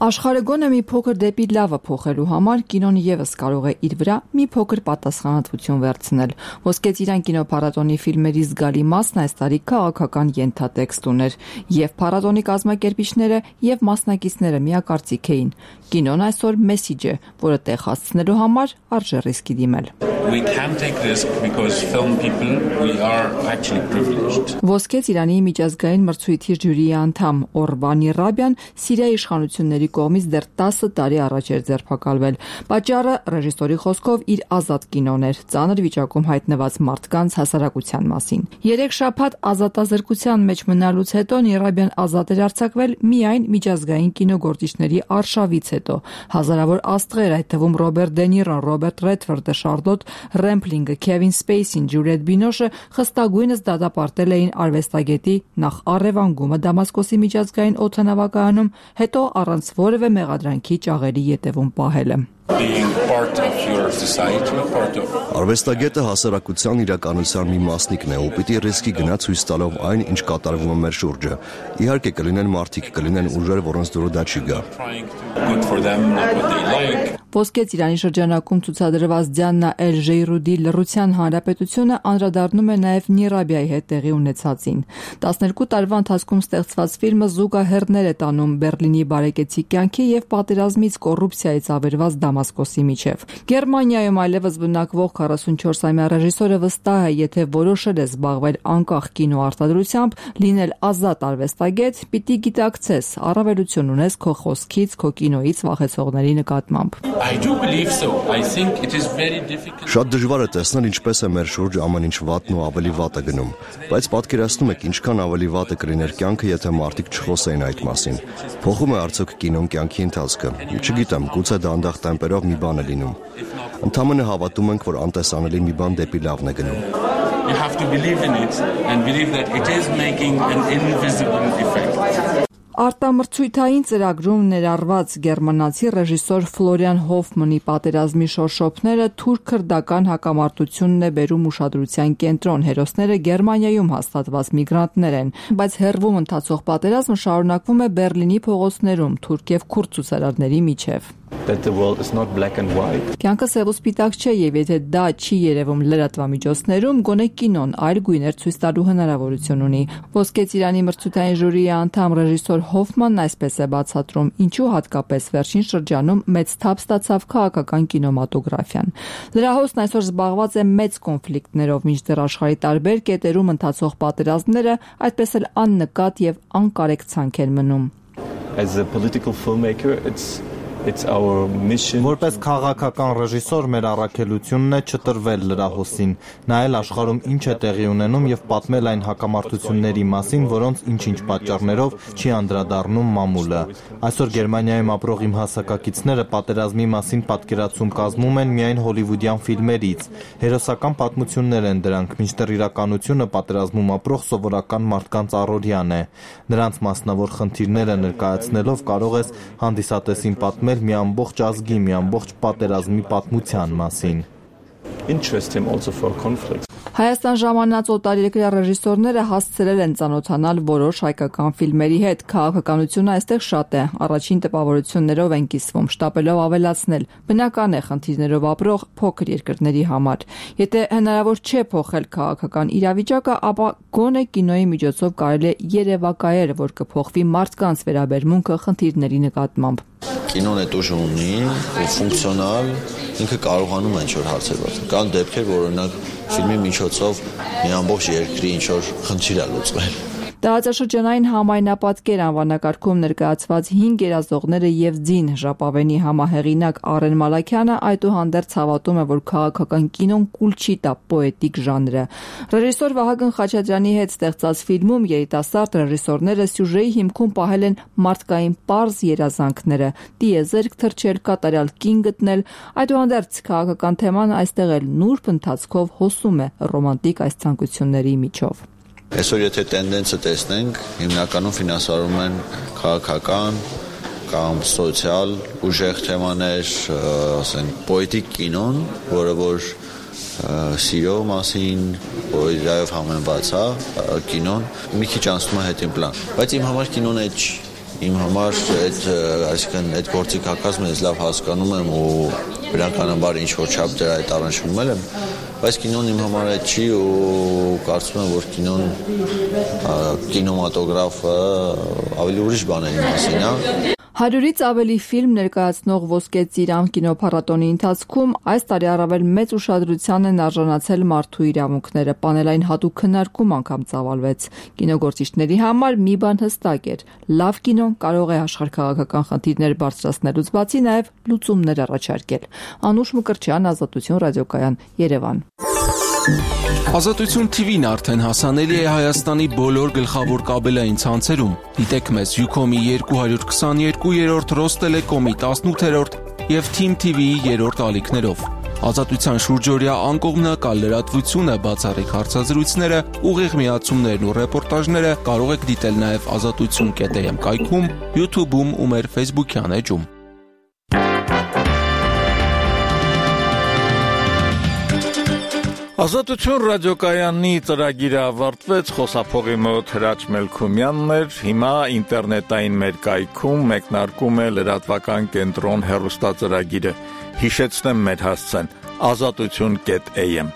Աշխարհը գոնե մի փոքր դեպի լավը փոխելու համար կինոն եւս կարող է իր վրա մի փոքր պատասխանատվություն վերցնել։ Ոսկե ծիրան կինոփառատոնի ֆիլմերի զգալի մասն այս տարի քաղաքական ենթատեքստ ուներ, եւ փառատոնի կազմակերպիչները եւ մասնակիցները միակարծիք էին։ Կինոն այսօր մեսիջ է, որը տեղ հասցնելու համար արժե ռիսկի դիմել։ We can take risk because film people we are actually privileged. Ոսկե ծիրանի միջազգային մրցույթի ժյուրիի անդամ Օրվանի Ռաբյան Սիրիայի իշխանությունների կողմից դեռ 10 տարի առաջ էր ձերբակալվել։ Պատճառը ռեժիսորի խոսքով իր ազատ կինոն էր, ծանր վիճակում հայտնված մարդկանց հասարակության մասին։ 3 շաբաթ ազատազրկության մեջ մնալուց հետո Նիրաբյան ազատ էր արձակվել միայն միջազգային կինոգործիչների արշավից հետո։ Հազարավոր աստղեր, այդ թվում Ռոբերտ Դե Նիրոն, Ռոբերտ Ռեդֆորդը, Շարլոտ Ռեմփլինգը, Քևին Սպեյսին, Ջուլիետ Բինոշը խստագույնս դատապարտել էին արվեստագետի նախ առևանգումը Դամասկոսի միջազգային օդանավակայանում, հետո առանց որևէ մեղադրանքի ճաղերի ետևում պահելը։ Արվեստագետը հասարակության իրականության մի մասնիկն է, ու պիտի ռիսկի գնա ցույց տալով այն, ինչ կատարվում է մեր շուրջը։ Իհարկե կլինեն մարդիկ, կլինեն ուժեր, որոնց դուրը դա չի գա։ Ոսկե ծիրանի շրջանակում ցուցադրված Դիանա Էլ Ժեյրուդի լռության հանրապետությունը անդրադառնում է նաև Նիրաբիայի հետ տեղի ունեցածին։ 12 տարվա ընթացքում ստեղծված ֆիլմը զուգահեռներ է տանում Բերլինի բարեկեցիկ կյանքի եւ պատերազմից կոռուպցիայից ավերված Դամասկոսի միջև։ Գերմանիայում այլևս բնակվող 44-ամյա ռեժիսորը վստահ է, եթե որոշել է զբաղվել անկախ կինոարտադրությամբ, լինել ազատ արվեստագետ, պիտի գիտակցես, առավելություն ունես քո խոսքից, քո կինոից վախեցողների նկատմամբ։ I do believe so. I think it is very difficult. Շատ դժվար է տեսնել ինչպես է մեր շուրջ ամեն ինչ վատն ու ավելի վատ է գնում, բայց պատկերացնում եք ինչքան ավելի վատ է կլիներ կյանքը, եթե մարդիկ չխոսեին այդ մասին։ Փոխում է արդյոք կինոն կյանքի ընթացքը։ Չգիտեմ, գուցե դանդաղ տեմպերով մի բան է լինում։ Ընդհանրապես հավատում ենք, որ անտեսանելի մի բան դեպի լավն է գնում։ You have to believe in it and believe that it is making an invisible effect. Արտամրցույթային ծրագրում ներառված գերմանացի ռեժիսոր Ֆլորիան Հոֆմանի պատերազմի շորշոփները թուրք-քրդական հակամարտությունն է բերում ուշադրության կենտրոն։ Հերոսները Գերմանիայում հաստատված միգրանտներ են, բայց հեռվում ընթացող պատերազմը շարունակվում է Բերլինի փողոցներում թուրք եւ քուրդ ցուցարարների միջև։ That the world is not black and white. Կյանքը սև ու սպիտակ չէ, եւ եթե դա չի երևում լրատվամիջոցներում, գոնե կինոն այլ գույներ ցույց տալու հնարավորություն ունի։ Ոսկե ծիրանի մրցույթային ժյուրիի անդամ ռեժիսոր Հոֆմանն այսպես է բացատրում, ինչու հատկապես վերջին շրջանում մեծ թափ ստացավ քաղաքական կինոմատոգրաֆիան։ Լրահոսն այսօր զբաղված է մեծ կոնֆլիկտներով, մինչդեռ աշխարհի տարբեր կետերում ընթացող պատերազմները այդպես էլ աննկատ եւ անկարեկցանք են մնում։ As a political filmmaker, it's our mission. Որպես քաղաքական ռեժիսոր մեր առաքելությունն է չտրվել լրահոսին, նայել աշխարհում ինչ է տեղի ունենում եւ պատմել այն հակամարտությունների մասին, որոնց ինչ-ինչ պատճառներով չի անդրադառնում մամուլը։ Այսօր Գերմանիայում ապրող իմ հասակակիցները պատերազմի մասին պատկերացում կազմում են միայն հոլիվուդյան ֆիլմերից։ Հերոսական պատմություններ են դրանք, մինչդեռ իրականությունը պատերազմում ապրող սովորական մարդկանց առօրյան է։ Նրանց մասնավոր խնդիրները ներկայացնելով կարող ես հանդիսատեսին պատմել մի ամբողջ ազգի, մի ամբողջ պատերազմի պատմության մասին։ Interest him also for conflict. Հայաստան ժամանած օտարերկրյա ռեժիսորները հասցրել են ծանոթանալ որոշ հայկական ֆիլմերի հետ։ Քաղաքականությունը այստեղ շատ է, առաջին տպավորություններով են կիսվում, շտապելով ավելացնել։ Բնական է խնդիրներով ապրող փոքր երկրների համար։ Եթե հնարավոր չէ փոխել քաղաքական իրավիճակը, ապա գոնե կինոյի միջոցով կարելի է երևակայել, որ կփոխվի մարդկանց վերաբերմունքը խնդիրների նկատմամբ։ Կինոն է ուժ ունի, ֆունկցիոնալ, ինքը կարողանում է ինչ-որ հարցեր բացել։ Կան դեպքեր, որ օրինակ ֆիլմի միջոցով մի ամբողջ երկրի ինչ-որ խնդիր է լուծվել։ Տարածաշրջանային համայնապատկեր անվանակարգում ներկայացված 5 երազողները եւ ձին ժապավենի համահեղինակ Արեն Մալաքյանը այդուհանդերձ հավատում է, որ քաղաքական կինոն կուլ չի տա պոետիկ ժանրը։ Ռեժիսոր Վահագն Խաչատրյանի հետ ստեղծած ֆիլմում երիտասարդ ռեժիսորները սյուժեի հիմքում պահել են մարդկային պարզ երազանքները՝ տիեզերք թռչել, կատարյալ կին գտնել։ Այդուհանդերձ քաղաքական թեման այստեղ էլ նուրբ ընթացքով հոսում է ռոմանտիկ այս ցանկությունների միջով։ Այսօր եթե տենդենսը տեսնենք, հիմնականում ֆինանսավորում են քաղաքական, կամ սոցիալ ուժեղ թեմաներ, ասենք պոետիկ կինոն, որը որ սիրո մասին, պոեզիայով համեմված կինոն մի քիչ անցնում է հետին պլան, բայց իմ համար կինոն այդ չի, իմ համար այդ գործիքակազմը ես լավ հասկանում եմ ու բնականաբար ինչ-որ չափ դրա այդ առնչվում եմ, բայց կինոն իմ համար այդ չի ու կարծում եմ, որ կինոմատոգրաֆը ավելի ուրիշ բաների մասին է։ 100-ից ավելի ֆիլմ ներկայացնող Ոսկե ծիրան կինոփառատոնի ընթացքում այս տարի առավել մեծ ուշադրության են արժանացել մարդու իրավունքները, պանելային հատուկ քննարկում անգամ ծավալվեց։ Կինոգործիչների համար մի բան հստակ էր՝ լավ կինոն կարող է աշխարհքաղաքական խնդիրներ բարձրացնելուց բացի նաև լուծումներ առաջարկել։ Անուշ Մկրտչյան, Ազատություն ռադիոկայան, Երևան։ Ազատություն TV-ն արդեն հասանելի է Հայաստանի բոլոր գլխավոր կաբելային ցանցերում։ Դիտեք մեզ Ucom-ի 222-րդ, Ռոստելեկոմի 18-րդ եւ Team TV-ի 3-րդ ալիքներով։ Ազատության շուրջօրյա անկողմնակալ լրատվությունը, բացառիկ հարցազրույցները, ուղիղ միացումներն ու ռեպորտաժները կարող եք դիտել նաեւ azatutsun.am կայքում, YouTube-ում ու մեր Facebook-յան էջում։ Ազատություն ռադիոկայանի ծրագիրը ավարտվեց, խոսափողի մոտ Հրաչ Մելքումյանն էր, հիմա ինտերնետային մեր կայքում մեկնարկում է լրատվական կենտրոն հեռուստածրագիրը, հիշեցնեմ մեր հասցեն, azatutsun.am